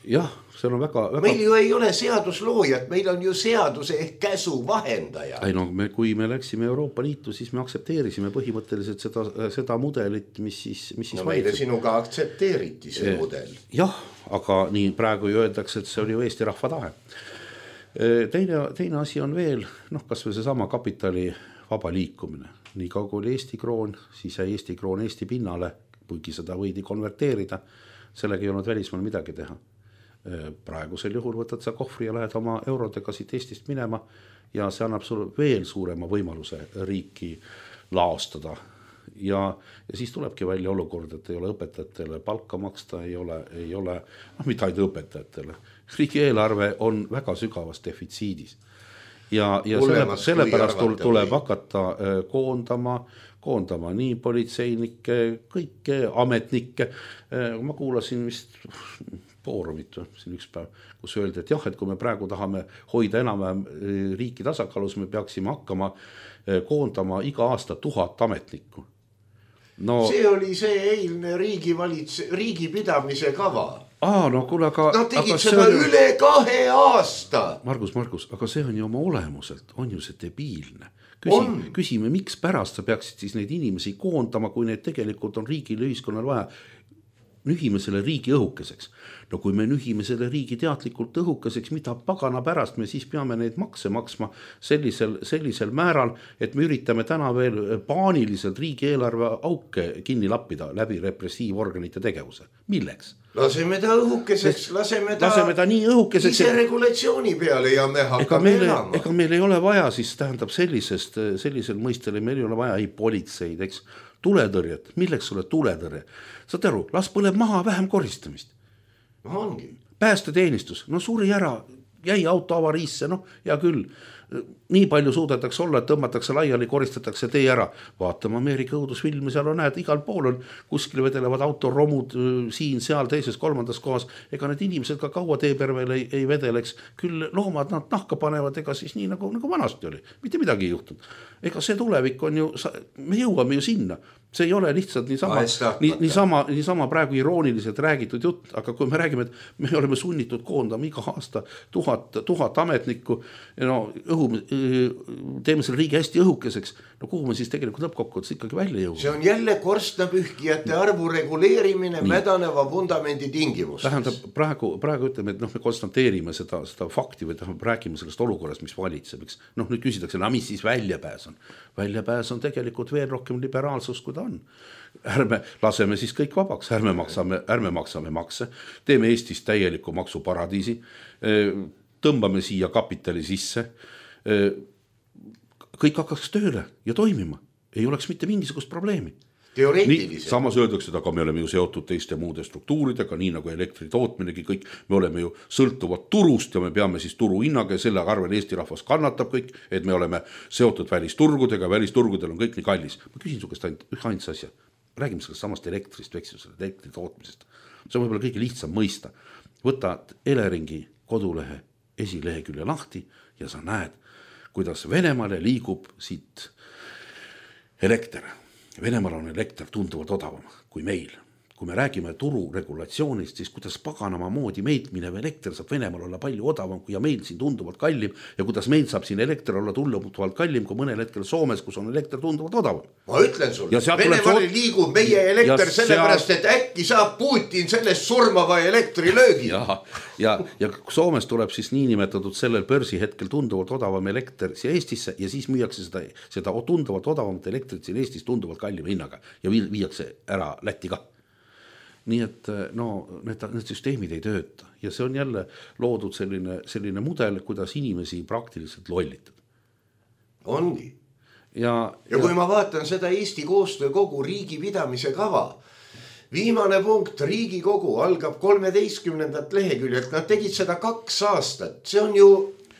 jah, seal on väga, väga... meil ju ei ole seadusloojat, meil on ju seaduse ehk käsu vahendaja. Ei no me, kui me läksime Euroopa Liitu, siis me aktsepteerisime põhimõtteliselt seda, seda mudelit, mis siis, mis siis no meile sinuga aktsepteeriti see e, mudel. Jah, aga nii praegu ju öeldakse, et see oli ju Eesti rahva tahe. Teine, teine asi on veel, noh, kas või see sama kapitali vaba liikumine. Nii kaugu oli Eesti kroon, siis jäi Eesti kroon Eesti pinnale, kuigi seda võidi konverteerida, sellega ei olnud välismaal midagi teha. Praegusel juhul võtad sa kohvri ja lähed oma eurodega siit Eestist minema ja see annab sulle veel suurema võimaluse riiki laostada. Ja, ja siis tulebki välja olukord, et ei ole õpetajatele palka maksta, ei ole, ei ole noh, mitte ainult õpetajatele. Riigi eelarve on väga sügavas defitsiidis. Ja, ja selle, sellepärast tuleb hakata koondama, koondama nii politseinikke, kõike ametnikke. Ma kuulasin vist Foorumit siin üks päev, kus öeldi, et jah, et kui me praegu tahame hoida enam riiki tasakaalus, me peaksime hakkama koondama iga aasta tuhat ametnikku. No, see oli see eilne riigi, valits, riigi pidamise kava. Aa, no kuule, aga... Nad tegid aga seda on... üle kahe aasta. Margus, Margus, aga see on ju oma olemuselt, on ju see debiilne. Küsi, küsime, miks pärast sa peaksid siis neid inimesi koondama, kui need tegelikult on riigile ühiskonnal vaja. Nühime selle riigi õhukeseks. No kui me nühime selle riigi teadlikult õhukeseks, mida pagana pärast me siis peame neid makse maksma sellisel, sellisel määral, et me üritame täna veel paaniliselt riigi eelarve auke kinni lappida läbi repressiivorganite tegevuse. Milleks? Laseme ta õhukeseks, laseme ta, laseme ta nii õhukeseks, ise regulatsiooni peale ja me hakkame ega elama. Ega meil ei ole vaja siis tähendab sellisest, sellisel mõistele, meil ei ole vaja ei politseid, eks, tuletõrjet, milleks sulle tuletõrje? Saad aru, las põleb maha vähem koristamist. No ongi. Päästeteenistus, no suri ära, jäi auto avariisse, noh, ja küll. Nii palju suudetakse olla, et tõmmatakse laiali, koristatakse tee ära. Vaatame Ameerika õudusfilmi, seal on näed, igal pool on, kuskil vedelevad autoromud siin, seal, teises, kolmandas kohas. Ega need inimesed ka kaua teepervel ei, ei vedeleks. Küll loomad nad nahka panevad, ega siis nii nagu, nagu vanasti oli. Mitte midagi ei juhtunud. Ega see tulevik on ju, me jõuame ju sinna. See ei ole lihtsalt niisama, nii, niisama, niisama praegu irooniliselt räägitud jutt, aga kui me räägime, et me oleme sunnitud koondama iga aasta tuhat, tuhat ametnikku, no õhu, teeme selle riigi hästi õhukeseks, no kuhu me siis tegelikult lõppkokkuvõttes ikkagi välja jõuame? See on jälle korstnapühkijate arvu reguleerimine nii. Mädaneva vundamendi tingimustes. Tähendab, praegu, praegu ütleme, et noh, me konstateerime seda, seda fakti või tähendab, räägime sellest olukorrast, mis valitseb. Noh, nüüd küsitakse, no mis siis väljapääs on? Väljapääs on tegelikult veel rohkem liberaalsus, kui ta on. Ärme laseme siis kõik vabaks, ärme maksame, ärme maksame makse, teeme Eestist täieliku maksuparadiisi, tõmbame siia kapitali sisse, kõik hakkaks tööle ja toimima, ei oleks mitte mingisugust probleemi. Nii, samas öeldakse, aga me oleme ju seotud teiste muude struktuuridega, nii nagu elektri tootminegi kõik, me oleme ju sõltuvad turust ja me peame siis turu hinnaga ja selle arvel Eesti rahvas kannatab kõik, et me oleme seotud välisturgudega, välisturgudel on kõik nii kallis. Ma küsin su käest ainult ühe ainsa asja, räägime sellest samast elektrist, veksusest, elektri tootmisest. See on võib-olla kõige lihtsam mõista. Võtad Eleringi kodulehe esilehekülje lahti ja sa näed, kuidas Venemaale liigub siit elekter. Venemaal on elekter tunduvalt odavam kui meil. Kui me räägime turu regulatsioonist, siis kuidas paganama moodi meilt minev elekter saab Venemaal olla palju odavam kui ja meil siin tunduvalt kallim ja kuidas meil saab siin elekter olla tunduvalt kallim kui mõnel hetkel Soomes, kus on elekter tunduvalt odavam. Ma ütlen sulle, Venemaale soot... liigub meie elekter sellepärast, seal... et äkki saab Putin sellest surmava elektrilöögi. Ja, ja, ja Soomes tuleb siis niinimetatud sellel börsi hetkel tunduvalt odavam elekter siia Eestisse ja siis müüakse seda, seda tunduvalt odavamat elektrit siin Eestis tunduvalt kallima hinnaga ja viiakse ära Lätti ka. Nii et no, need, need süsteemid ei tööta ja see on jälle loodud selline, selline mudel, kuidas inimesi praktiliselt lollitada. Ongi. Ja, ja, ja kui ma vaatan seda Eesti koostöö kogu riigi pidamise kava, viimane punkt, Riigikogu algab kolmeteistkümnendat leheküljelt, nad tegid seda kaks aastat, see on ju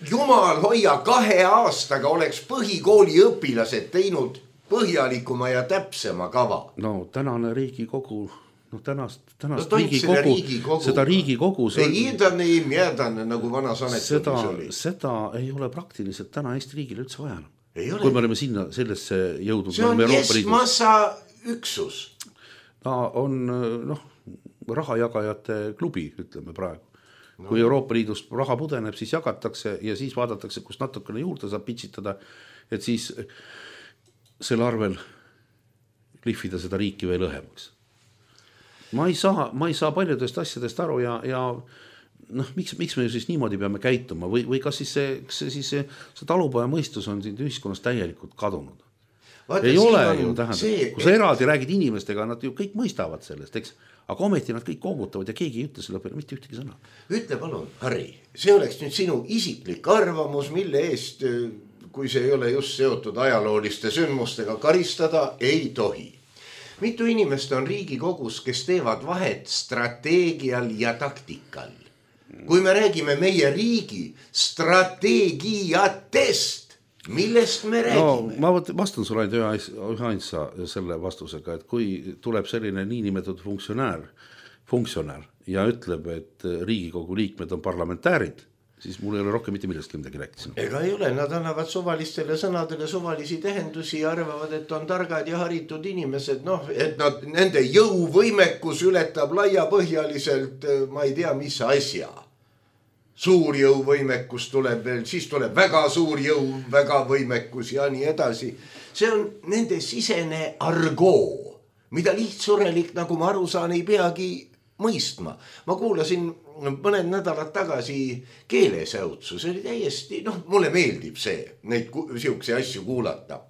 jumal hoia kahe aastaga oleks põhikooli õpilased teinud põhjalikuma ja täpsema kava. No tänane Riigikogu no tänast, tänast no, riigikogu, riigikogu, seda riigikogu ei iidane, ei mjädane, nagu vana sanetus oli. Seda ei ole praktiliselt täna Eesti riigile üldse vaja. Kui me oleme sinna sellesse jõudnud. See on keskmassa üksus. Ta on noh, rahajagajate klubi, ütleme praegu. no. Kui Euroopa Liidust raha pudeneb, siis jagatakse ja siis vaadatakse, kus natukene juurde saab pitsitada, et siis selle arvel lihvida seda riiki veel õhemaks. Ma ei saa, ma ei saa paljudest asjadest aru ja, ja noh, miks, miks me siis niimoodi peame käituma või, või kas siis see, see, siis see, see talupoja mõistus on siin ühiskonnas täielikult kadunud? Vaata, ei ole ju, tähendab, see, kui sa eraldi räägid inimestega, nad ju kõik mõistavad sellest, eks? Aga ometi nad kõik koogutavad ja keegi ei ütle selle peale mitte ühtegi sõna. Ütle palun, Harri, see oleks nüüd sinu isiklik arvamus, mille eest, kui see ei ole just seotud ajalooliste sündmustega, karistada ei tohi. Mitu inimest on Riigikogus, kes teevad vahet strateegial ja taktikal. Kui me räägime meie riigi strateegiatest, millest me räägime? No, ma vastan sulle ainult ühe ainsa selle vastusega, et kui tuleb selline niinimetatud funktsionäär, funktsionäär ja ütleb, et Riigikogu liikmed on parlamentäärid, siis mul ei ole rohkem mitte millestki midagi rääkida. Ega ei ole, nad annavad suvalistele sõnadele suvalisi tähendusi ja arvavad, et on targad ja haritud inimesed, noh, et nad, nende jõuvõimekus ületab laiapõhjaliselt, ma ei tea, mis asja. Suur jõuvõimekus tuleb veel, siis tuleb väga suur jõu, väga võimekus ja nii edasi. See on nende sisene argoo, mida lihtsurelik, nagu ma aru saan, ei peagi mõistma. Ma kuulasin mõned nädalad tagasi keelesäutsu, see oli täiesti, noh, mulle meeldib see, neid siukse asju kuulata.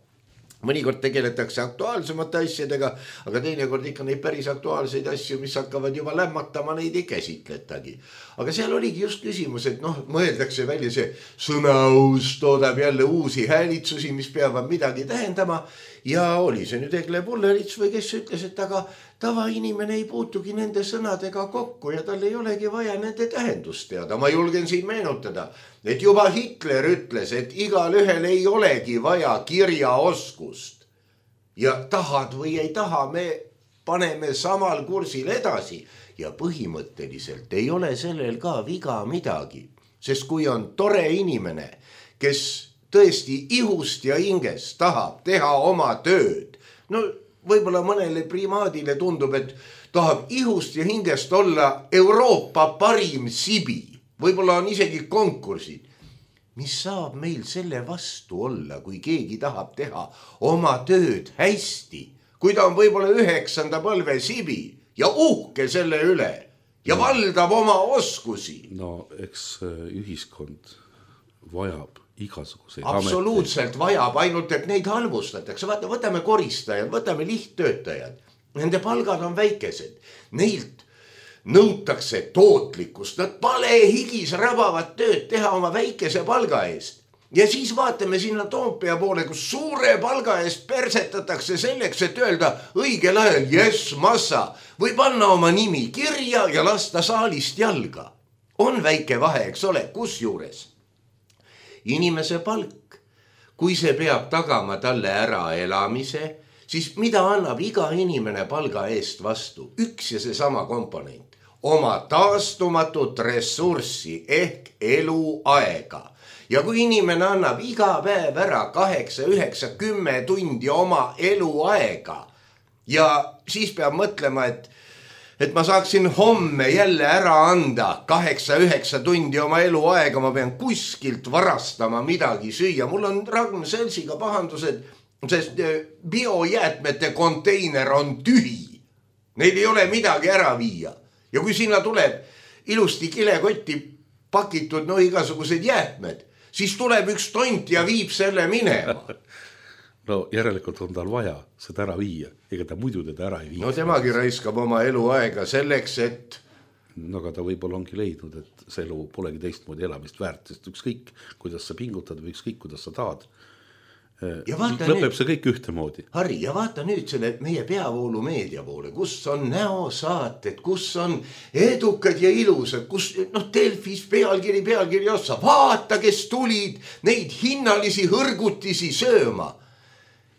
Mõnikord tegeletakse aktuaalsemate asjadega, aga teinekord ikka neid päris aktuaalseid asju, mis hakkavad juba lämmatama, neid ei käsitletagi. Aga seal oligi just küsimus, et noh, mõeldakse välja see sõnaus, toodab jälle uusi häälitsusi, mis peavad midagi tähendama. Ja oli see nüüd Egle Pullerits või kes ütles, et aga tavainimene ei puutugi nende sõnadega kokku ja tal ei olegi vaja nende tähendust teada. Ma julgen siin meenutada, et juba Hitler ütles, et igal ühel ei olegi vaja kirjaoskust. Ja tahad või ei taha, me paneme samal kursil edasi ja põhimõtteliselt ei ole sellel ka viga midagi. Sest kui on tore inimene, kes tõesti ihust ja hinges tahab teha oma tööd, no võib-olla mõnele primaadile tundub, et tahab ihust ja hingest olla Euroopa parim sibi. Võib-olla on isegi konkursid. Mis saab meil selle vastu olla, kui keegi tahab teha oma tööd hästi? Kui ta on võib-olla üheksanda põlve sibi ja uhke selle üle ja no, valdab oma oskusi. No eks ühiskond vajab igasuguseid absoluutselt ameteid. Vajab, ainult et neid halvustatakse. Vaata, võtame koristajad, võtame lihttöötajad. Nende palgad on väikesed. Neilt nõutakse tootlikkust. Nad pale higis rabavad tööd teha oma väikese palga eest. Ja siis vaatame sinna Toompea poole, kus suure palga eest persetatakse selleks, et öelda õigel ajal yes, massa või panna oma nimi kirja ja lasta saalist jalga. On väike vahe, eks ole, kus juures? Inimese palk, kui see peab tagama talle ära elamise, siis mida annab iga inimene palga eest vastu? Üks ja see sama komponent. Oma taastumatut ressurssi ehk eluaega. Ja kui inimene annab iga päev ära kaheksa, üheksa, kümme tundi oma eluaega ja siis peab mõtlema, et et ma saaksin homme jälle ära anda kaheksa, üheksa tundi oma eluaega, ma pean kuskilt varastama midagi süüa. Mul on Ragn Selsiga pahandused, sest biojäätmete konteiner on tühi. Neil ei ole midagi ära viia. Ja kui sinna tuleb ilusti kilekotti pakitud no igasugused jäätmed, siis tuleb üks tont ja viib selle minema. No järelikult on tal vaja seda ära viia, ega ta muidu teda ära ei vii. No temagi raiskab oma eluaega selleks, et... No aga ta võib-olla ongi leidnud, et see elu polegi teistmoodi elamist väärt, sest ükskõik, kuidas sa pingutad või ükskõik, kuidas sa tahad. Lõpeb nüüd, see kõik ühtemoodi. Harri, ja vaata nüüd selle meie peavoolu meedia poole, kus on näosaated, kus on edukad ja ilusad, kus noh, Delfis pealkiri, pealkiri ossa, vaata, kes tulid neid hinnalisi hõrgutisi sööma.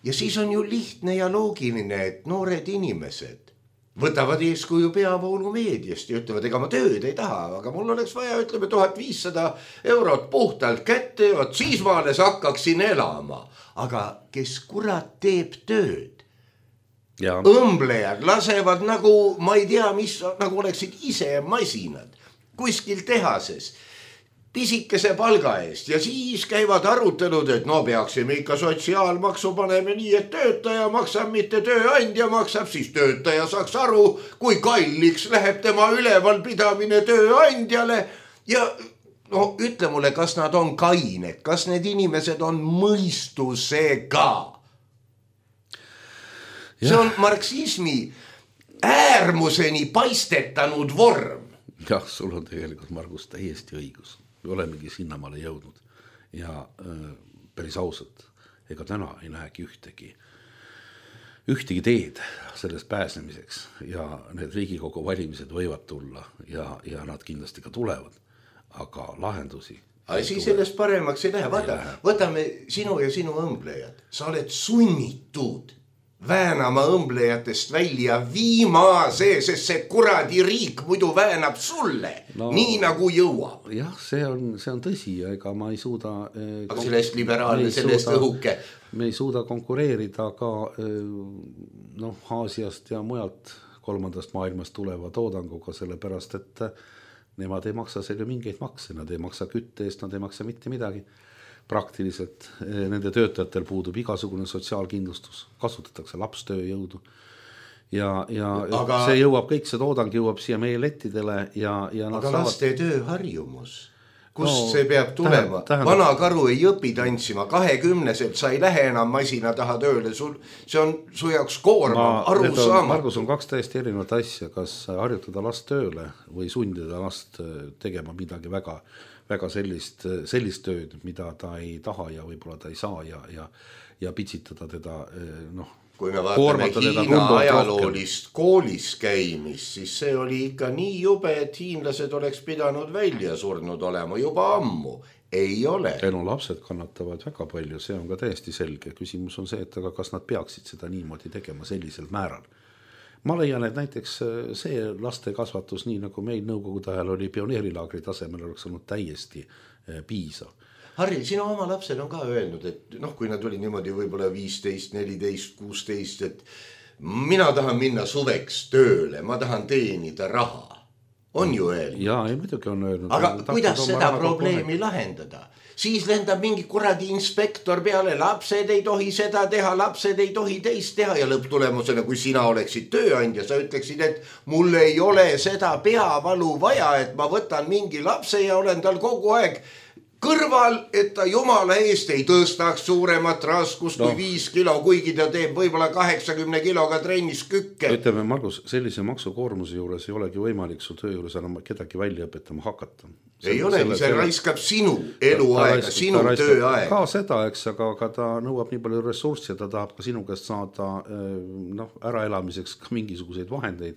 Ja siis on ju lihtne ja loogiline, et noored inimesed võtavad eeskuju peavoolu meediast ja ütlevad, ega ma tööd ei taha, aga mul oleks vaja, ütleme, tuhat viissada eurot puhtalt kätte, et siis ma alles hakkaksin elama. Aga kes kurat teeb tööd? Ja. Õmblejad lasevad nagu, ma ei tea, mis, nagu oleksid ise masinad. kuskil tehases pisikese palga eest ja siis käivad arutelud, et no peaksime ikka sotsiaalmaksu paneme nii, et töötaja maksab, mitte tööandja maksab, siis töötaja saaks aru, kui kalliks läheb tema ülevalpidamine tööandjale ja no ütle mulle, kas nad on kained, kas need inimesed on mõistusega? See on marksismi äärmuseni paistetanud vorm. Jah, sul on tegelikult, Margus, täiesti õigus. Me olemegi sinnamaale jõudnud ja äh, päris ausalt, ega täna ei näegi ühtegi, ühtegi teed sellest pääsemiseks ja need Riigikogu valimised võivad tulla ja, ja nad kindlasti ka tulevad, aga lahendusi Asi sellest paremaks ei lähe. Vaata, võtame sinu ja sinu õmblejad. Sa oled sunnitud väänama õmblejatest välja viimase, sest see kuradi riik muidu väänab sulle, no, nii nagu jõuab. Jah, see on, see on tõsi ja ega ma ei suuda... Eh, aga sellest liberaalne, sellest õhuke. Me ei suuda konkureerida ka eh, no, Aasiast ja mujalt kolmandast maailmast tuleva toodanguga, sellepärast, et nemad ei maksa selle mingeid makse, nad ei maksa kütte eest, nad ei maksa mitte midagi. Praktiliselt nende töötajatel puudub igasugune sotsiaalkindlustus, kasutatakse lapstööjõudu ja, ja aga, see jõuab, kõik see toodang jõuab siia meie lettidele ja, ja aga saavad... laste tööharjumus, kust no, see peab tulema? Tähendab... Vana karu ei õpi tantsima, kahekümneselt sa ei lähe enam masina taha tööle, sul, see on su jaoks koorma, aru saama. Margus on kaks täiesti erinevat asja, kas harjutada last tööle või sundida last tegema midagi väga väga sellist, sellist tööd, mida ta ei taha ja võib-olla ta ei saa ja, ja, ja pitsitada teda, noh, kui me vaatame Hiina ajaloolist koolis käimist, siis see oli ikka nii jube, et hiinlased oleks pidanud välja surnud olema juba ammu. Ei ole. No lapsed kannatavad väga palju, see on ka täiesti selge. Küsimus on see, et aga kas nad peaksid seda niimoodi tegema sellisel määral. Ma leian, et näiteks see laste kasvatus, nii nagu meil nõukogude ajal oli pioneerilaagri tasemel, oleks olnud täiesti piisav. Harri, sinu oma lapsel on ka öelnud, et noh, kui nad oli niimoodi võib-olla viisteist, neliteist, kuusteist, et mina tahan minna suveks tööle, ma tahan teenida raha. On ju öelnud? Jaa, ei muidugi on öelnud. Aga kuidas seda probleemi lahendada? Siis lendab mingi kuradi inspektor peale, lapsed ei tohi seda teha, lapsed ei tohi teist teha ja lõpptulemusena, kui sina oleksid tööandja, sa ütleksid, et mul ei ole seda peavalu vaja, et ma võtan mingi lapse ja olen tal kogu aeg kõrval, et ta jumala eest ei tõstaks suuremat raskust no. kui viis kilo, kuigi ta teeb võib-olla kaheksakümne kiloga trennis kükke. Ütleme, Margus, sellise maksukoormuse juures ei olegi võimalik su töö juures enam kedagi välja õpetama hakata. Selle, ei ole, selle, see selle... raiskab sinu eluaega, sinu tööaega. Ka seda, eks, aga, aga ta nõuab nii palju ressurssi ja ta tahab ka sinu käest saada noh, äraelamiseks ka mingisuguseid vahendeid.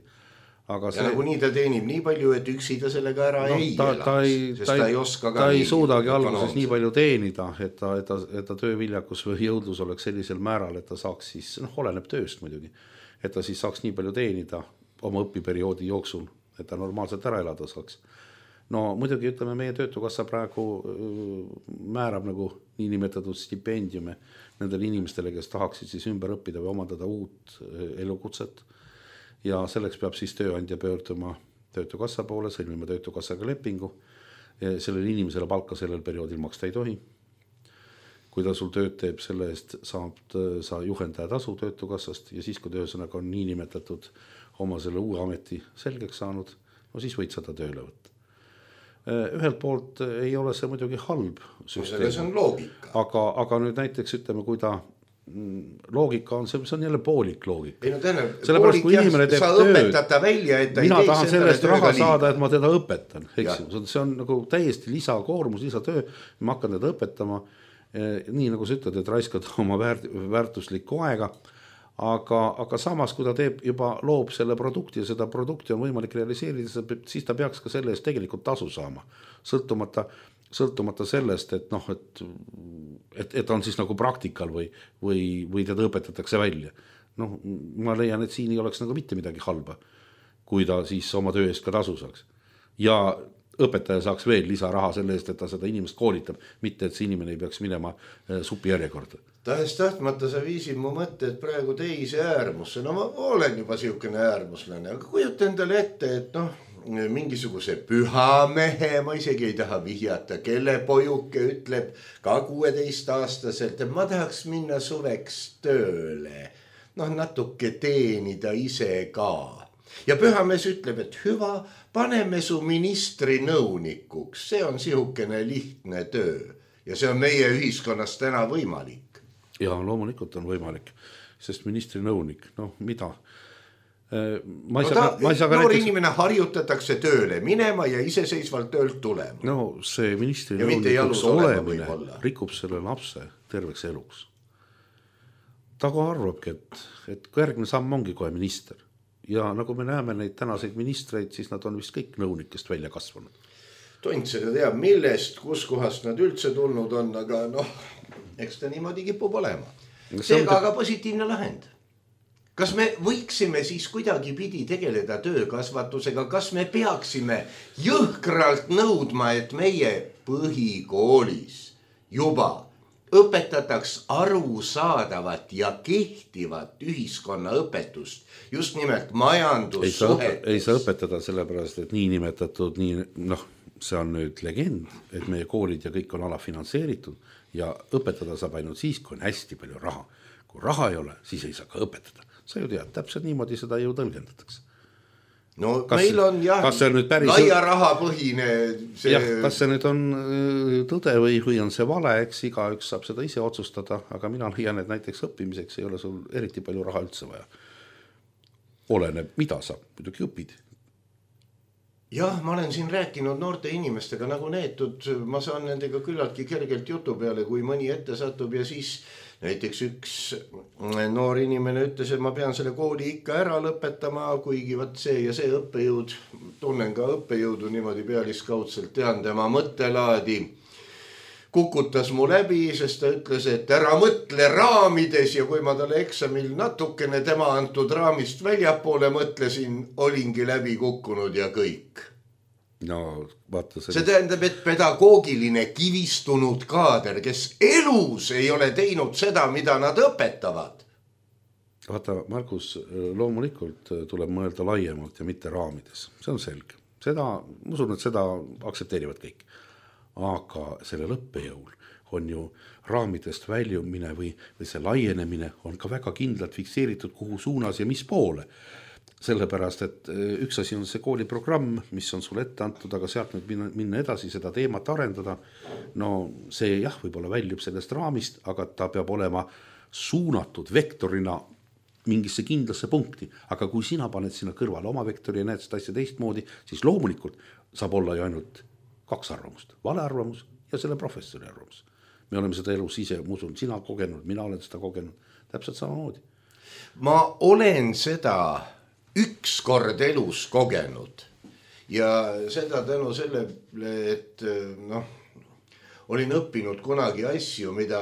Aga see... Ja nagu nii ta teenib nii palju, et üksi ta sellega ära no, ei ta, ta ei, sest ta, ta ei oska ka ta ei suudagi alguses nii palju teenida, et ta, et ta, et ta tööviljakus või jõudlus oleks sellisel määral, et ta saaks siis, noh, oleneb tööst muidugi, et ta siis saaks nii palju teenida oma õpiperioodi jooksul, et ta normaalselt ära elada saaks. No muidugi ütleme, meie töötukassa praegu määrab nagu niinimetatud stipendiume nendele inimestele, kes tahaksid siis ümber õppida või omandada uut elukutset. Ja selleks peab siis tööandja pöörduma töötukassa poole, sõlmima töötukassaga lepingu. Sellele inimesele palka sellel perioodil maksta ei tohi. Kui ta sul tööd teeb, selle eest saab sa juhendaja tasu töötukassast ja siis, kui töösõnaga on nii nimetatud oma selle uue ameti selgeks saanud, no siis võid seda tööle võtta. Ühelt poolt ei ole see muidugi halb süsteem. See on loogika. Aga, aga nüüd näiteks ütleme, kui ta loogika on, see on jälle poolik loogika. Ei no täna, poolik jah, sa õpetad ta välja, et ta mina ei tahan sellest raha saada, et ma teda õpetan. See on nagu täiesti lisakoormus, lisatöö, ma hakkan teda õpetama, nii nagu sa ütled, et raiskad oma väärt, väärtuslikku aega, aga, aga samas, kui ta teeb juba loob selle produkti ja seda produkti on võimalik realiseerida, siis ta peaks ka selle eest tegelikult tasu saama, sõltumata sõltumata sellest, et noh, et, et, et on siis nagu praktikal või, või, või teda õpetatakse välja. Noh, ma leian, et siin ei oleks nagu mitte midagi halba, kui ta siis oma töö eest ka tasu saaks. Ja õpetaja saaks veel lisaraha selle eest, et ta seda inimest koolitab, mitte et see inimene ei peaks minema supi järjekorda. Tahes tahtmata sa viisid mu mõtted praegu teise äärmusse. No ma olen juba siukene äärmuslane, aga kujuta endale ette, et noh, mingisuguse pühamehe, ma isegi ei taha vihjata, kelle pojuke ütleb ka kuueteistaastaselt, et ma tahaks minna suveks tööle, noh natuke teenida ise ka. Ja pühamees ütleb, et hüva, paneme su ministri nõunikuks, see on sihukene lihtne töö ja see on meie ühiskonnas täna võimalik. Ja loomulikult on võimalik, sest ministri nõunik, noh mida? Ma ei no saa, ta, ma ei saa ka noor näiteks... inimene harjutatakse tööle minema ja iseseisvalt töölt tulema. No see ministri ja nõunikuks olemine rikub selle lapse terveks eluks. Ta ka arvabki, et, et järgmine samm ongi kohe minister. Ja nagu me näeme neid tänaseid ministreid, siis nad on vist kõik nõunikest välja kasvanud. Tont seda teab, millest, kus kohast nad üldse tulnud on, aga noh, eks ta niimoodi kipub olema. Seega aga positiivne lahend. Kas me võiksime siis kuidagi pidi tegeleda töökasvatusega, kas me peaksime jõhkralt nõudma, et meie põhikoolis juba õpetataks arusaadavat ja kehtivat ühiskonnaõpetust, just nimelt majandussuhetest. Ei saa õpetada sellepärast, et nii nimetatud, nii, noh, see on nüüd legend, et meie koolid ja kõik on alafinantseeritud ja õpetada saab ainult siis, kui on hästi palju raha. Kui raha ei ole, siis ei saa ka õpetada. Sa ju tead, täpselt niimoodi seda ju tõlgendatakse. No kas, meil on jah, päris... laia rahapõhine see... jah, kas see nüüd on tõde või, või on see vale, eks iga üks saab seda ise otsustada, aga mina leian, et näiteks õppimiseks ei ole sul eriti palju raha üldse vaja. Oleneb, mida sa muidugi õpid. Jah, ma olen siin rääkinud noorte inimestega nagu neetud, ma saan nendega küllaltki kergelt jutu peale, kui mõni ette satub ja siis näiteks üks noor inimene ütles, et ma pean selle kooli ikka ära lõpetama, kuigi võt see ja see õppejõud, tunnen ka õppejõudu niimoodi pealiskaudselt, tean tema mõttelaadi, kukutas mu läbi, sest ta ütles, et ära mõtle raamides ja kui ma talle eksamil natukene tema antud raamist väljapoole mõtlesin, olingi läbi kukkunud ja kõik. No, vaata see tähendab, et pedagoogiline kivistunud kaader, kes elus ei ole teinud seda, mida nad õpetavad. Vaata, Markus, loomulikult tuleb mõelda laiemalt ja mitte raamides. See on selge. Seda, ma usun, et seda aktsepteerivad kõik. Aga selle lõppejõul on ju raamidest väljumine või, või see laienemine on ka väga kindlalt fikseeritud kuhu suunas ja mis poole. Sellepärast, et üks asi on see kooliprogramm, mis on sulle ette antud, aga sealt nüüd minna, minna edasi seda teemat arendada. No see jah, võib-olla väljub sellest raamist, aga ta peab olema suunatud vektorina mingisse kindlasse punkti. Aga kui sina paned sinna kõrvale oma vektori ja näed seda asja teistmoodi, siis loomulikult saab olla ju ainult kaks arvamust. Vale arvamus ja selle professori arvamus. Me oleme seda elus ise, ma usun, sina kogenud, mina olen seda kogenud. Täpselt samamoodi. Ma olen seda üks kord elus kogenud ja seda tänu sellele, et noh, olin õppinud kunagi asju, mida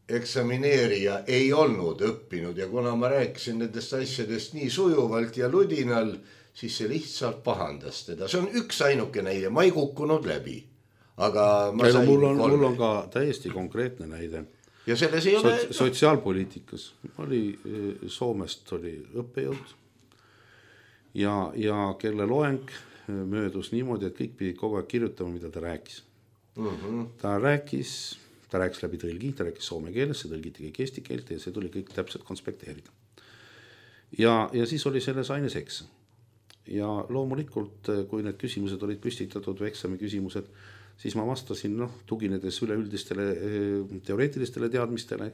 eksamineerija ei olnud õppinud ja kuna ma rääkisin nendest asjadest nii sujuvalt ja ludinal, siis see lihtsalt pahandas teda. See on üks ainuke näide, ma ei kukkunud läbi, aga ma sain mul on, mul on ka täiesti konkreetne näide. Ja selles ei ole... Sots- sotsiaalpoliitikas oli, Soomest oli õppejõud ja, ja kelle loeng möödus niimoodi, et kõik pidid kogu aeg kirjutama, mida ta rääkis. Mm-hmm. Ta rääkis, ta rääkis läbi tõlgi, ta rääkis soome keeles, see tõlgiti kõik eesti keelt ja see tuli kõik täpselt konspekteerida. Ja, ja siis oli selles aines eksam. Ja loomulikult, kui need küsimused olid püstitatud või eksami küsimused, siis ma vastasin, noh, tuginedes üleüldistele teoreetilistele teadmistele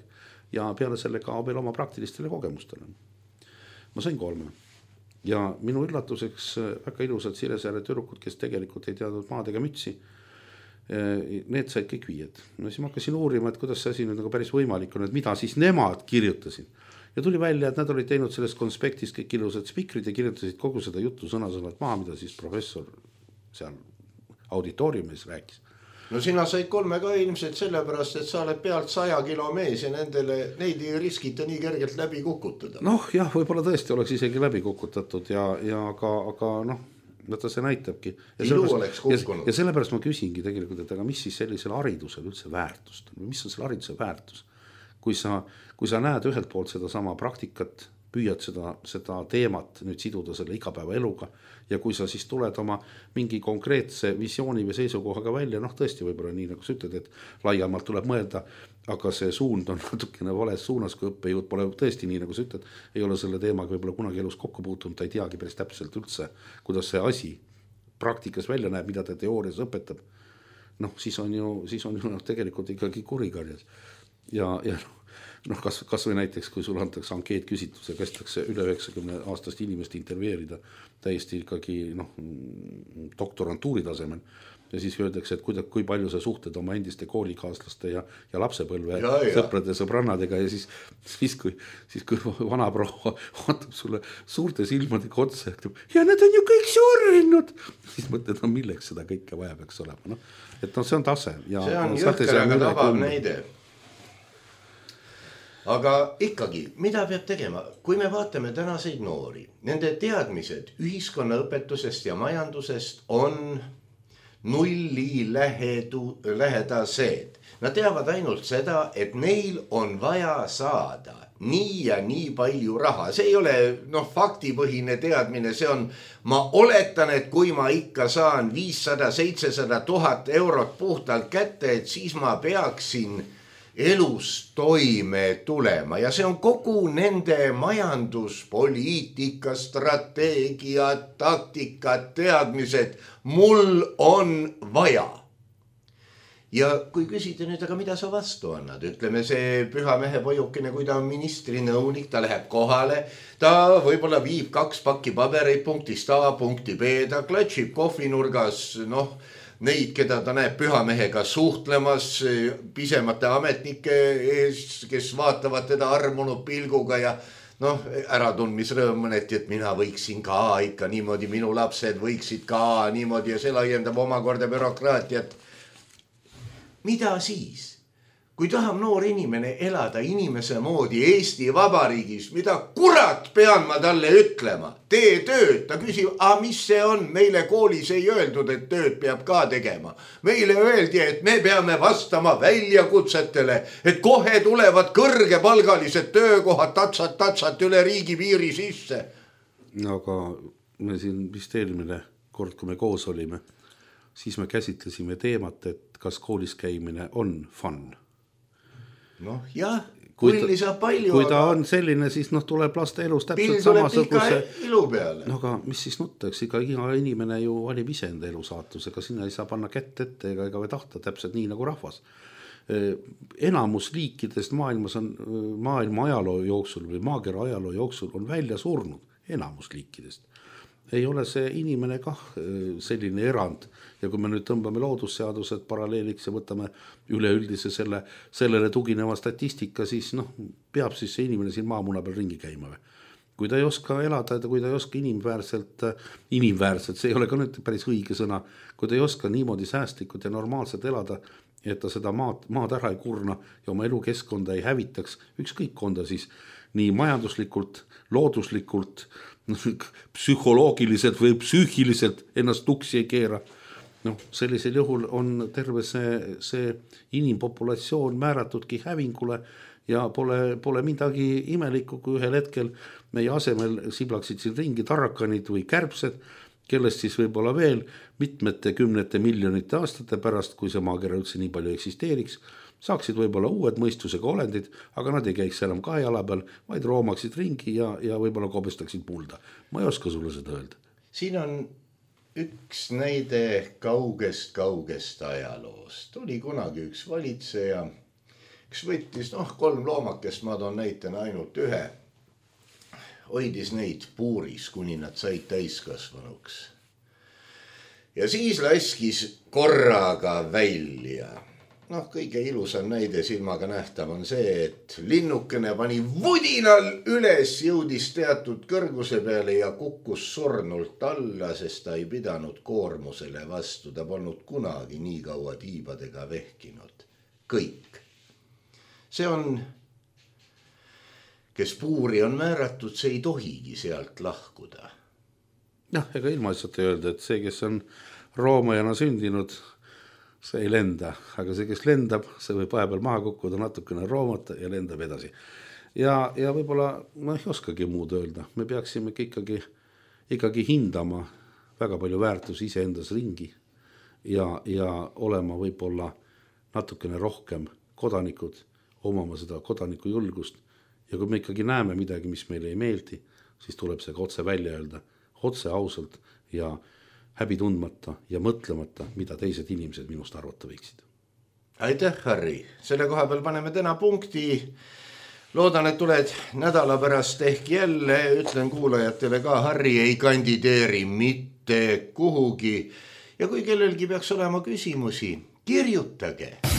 ja peale selle ka veel oma praktilistele kogemustele. Ma sain kolme. Ja minu üllatuseks väga ilusad Siresiare tüdrukud, kes tegelikult ei teadnud maad ega mütsi, need said kõik viied. No siis ma hakkasin uurima, et kuidas see asi nüüd nagu päris võimalik on, et mida siis nemad kirjutasid. Ja tuli välja, et nad olid teinud sellest konspektis kõik ilusad spikrid ja kirjutasid kogu seda juttu sõna-sõnalt maha, mida siis professor seal auditooriumis rääkis. No sina said kolme ka ilmselt sellepärast, et sa oled pealt saja kilo mees ja nendele, neid ei riskita nii kergelt läbi kukutada. Noh jah, võib-olla tõesti oleks isegi läbi kukutatud ja, ja aga, aga noh, võtta see näitabki. Ja sellepärast, ja, ja sellepärast ma küsingi tegelikult, et aga mis siis sellisel haridusel üldse väärtust on? Mis on selle hariduse väärtus? Kui sa, kui sa näed ühelt poolt seda sama praktikat, püüad seda, seda teemat nüüd siduda selle igapäeva eluga ja kui sa siis tuled oma mingi konkreetse visiooni või seisukohaga välja, noh tõesti võib-olla nii nagu sa ütled, et laiemalt tuleb mõelda, aga see suund on natukene vales suunas, kui õppejõud pole tõesti nii nagu sa ütled, ei ole selle teemaga võib-olla kunagi elus kokku puutunud, ta ei teagi päris täpselt üldse, kuidas see asi praktikas välja näeb, mida ta teoorias õpetab. Noh, siis on ju, siis on ju noh, tegelikult ikkagi kurikarjas. Ja, ja noh, kas, kas või näiteks, kui sul antakse ankeet küsitluse, kästakse üle üheksakümne aastast inimest intervjueerida täiesti ikkagi noh, doktorantuuri tasemel ja siis öeldakse, et kui, kui palju sa suhted oma endiste koolikaaslaste ja, ja lapsepõlve ja, ja. sõprade sõbrannadega ja siis, siis, kui, siis kui vana proua vaatab sulle suurte silmadega otsa ja ütleb, ja need on ju kõik surnud, siis mõtled, no milleks seda kõike vaja peaks olema. No, et no see on tase. Ja see on jõhker, aga tabav näide. Aga ikkagi, mida peab tegema? Kui me vaatame tänaseid noori, nende teadmised ühiskonnaõpetusest ja majandusest on nulli lähedu, lähedased. Nad teavad ainult seda, et neil on vaja saada nii ja nii palju raha. See ei ole noh, faktipõhine teadmine, see on, ma oletan, et kui ma ikka saan viissada seitsesada tuhat eurot puhtalt kätte, et siis ma peaksin elus toime tulema ja see on kogu nende majanduspoliitika, strateegia, taktika, teadmised, mul on vaja. Ja kui küsida nüüd, aga mida sa vastu annad? Ütleme see püha mehe pojukene, kui ta on ministri nõunik, ta läheb kohale, ta võib-olla viib kaks pakki pabereid punktist A punkti B, ta klatšib kohvinurgas, noh, neid, keda ta näeb pühamehega suhtlemas, pisemate ametnike ees, kes vaatavad teda armunud pilguga ja noh, äratundmisrõõm mõneti, et mina võiksin ka ikka niimoodi, minu lapsed võiksid ka niimoodi ja see laiendab omakorda bürokraatiat. Mida siis? Kui tahab noor inimene elada inimese moodi Eesti Vabariigis, mida kurat pean ma talle ütlema? Tee tööd, ta küsib, a mis see on? Meile koolis ei öeldud, et tööd peab ka tegema. Meile öeldi, et me peame vastama väljakutsetele, et kohe tulevad kõrgepalgalised töökohad tatsat-tatsat üle riigi piiri sisse. Aga me siin vist eelmine kord, kui me koos olime, siis me käsitlesime teemat, et kas koolis käimine on fun. Noh jah, kulli saab palju. Kui ta on selline, siis noh, tuleb laste elus täpselt samasuguse ilu peale. No aga mis siis nuttaks, iga inimene ju valib ise enda elu saatusega, sinna ei saa panna kätt ette ega, ega tahta täpselt nii nagu rahvas. Enamus liikidest maailmas on maailma ajaloo jooksul või maakera ajaloo jooksul on välja surnud enamus liikidest. Ei ole see inimene kah selline erand ja kui me nüüd tõmbame loodusseadused paralleeliks ja võtame üleüldise selle, sellele tugineva statistika, siis noh, peab siis see inimene siin maamuna peal ringi käima või. Kui ta ei oska elada, kui ta ei oska inimväärselt, inimväärselt, see ei ole ka nüüd päris õige sõna, kui ta ei oska niimoodi säästlikult ja normaalselt elada, et ta seda maad, maad ära ei kurna ja oma elukeskkonda ei hävitaks, ükskõik on ta siis nii majanduslikult, looduslikult, psühholoogiliselt või psüühiliselt ennast tuksi ei keera. No, sellisel juhul on terve see, see inimpopulatsioon määratudki hävingule ja pole, pole midagi imelikku, kui ühel hetkel meie asemel siblaksid siin ringi tarrakanid või kärbsed, kellest siis võib-olla veel mitmete kümnete miljonite aastate pärast, kui see maakera üldse nii palju eksisteeriks, saaksid võib-olla uued mõistusega olendid, aga nad ei käiks enam kahe jala peal, vaid roomaksid ringi ja, ja võib-olla kobestaksid mulda. Ma ei oska sulle seda öelda. Siin on üks näide kaugest-kaugest ajaloost. Oli kunagi üks valitseja, kes võttis, noh, kolm loomakest, ma toon näitena ainult ühe, hoidis neid puuris, kuni nad said täiskasvanuks. Ja siis laskis korraga välja. Noh, kõige ilusam näide silmaga nähtav on see, et linnukene pani vudinal üles, jõudis teatud kõrguse peale ja kukkus surnult alla, sest ta ei pidanud koormusele vastu. Ta polnud kunagi nii kaua tiibadega vehkinud. Kõik. See on, kes puuri on määratud, see ei tohigi sealt lahkuda. Jah, ega ilma lihtsalt ei öelda, et see, kes on roomajana sündinud, see ei lenda, aga see, kes lendab, see võib vahepeal maha kukkuda natukene roomata ja lendab edasi. ja, ja võib-olla ma ei oskagi muud öelda, me peaksime ikkagi, ikkagi hindama väga palju väärtusi iseendas ringi ja, ja olema võib-olla natukene rohkem kodanikud, omama seda kodaniku julgust ja kui me ikkagi näeme midagi, mis meile ei meeldi, siis tuleb see otse välja öelda, otse ausalt ja häbi tundmata ja mõtlemata, mida teised inimesed minust arvata võiksid. Aitäh, Harri. Selle koha peal paneme täna punkti. Loodan, et tuled nädala pärast ehk jälle. Ütlen kuulajatele ka, Harri ei kandideeri mitte kuhugi. Ja kui kellelgi peaks olema küsimusi, kirjutage.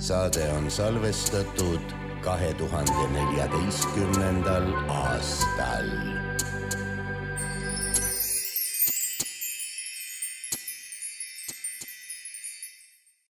saade on salvestatud kahe tuhande neljateistkümnendal aastal.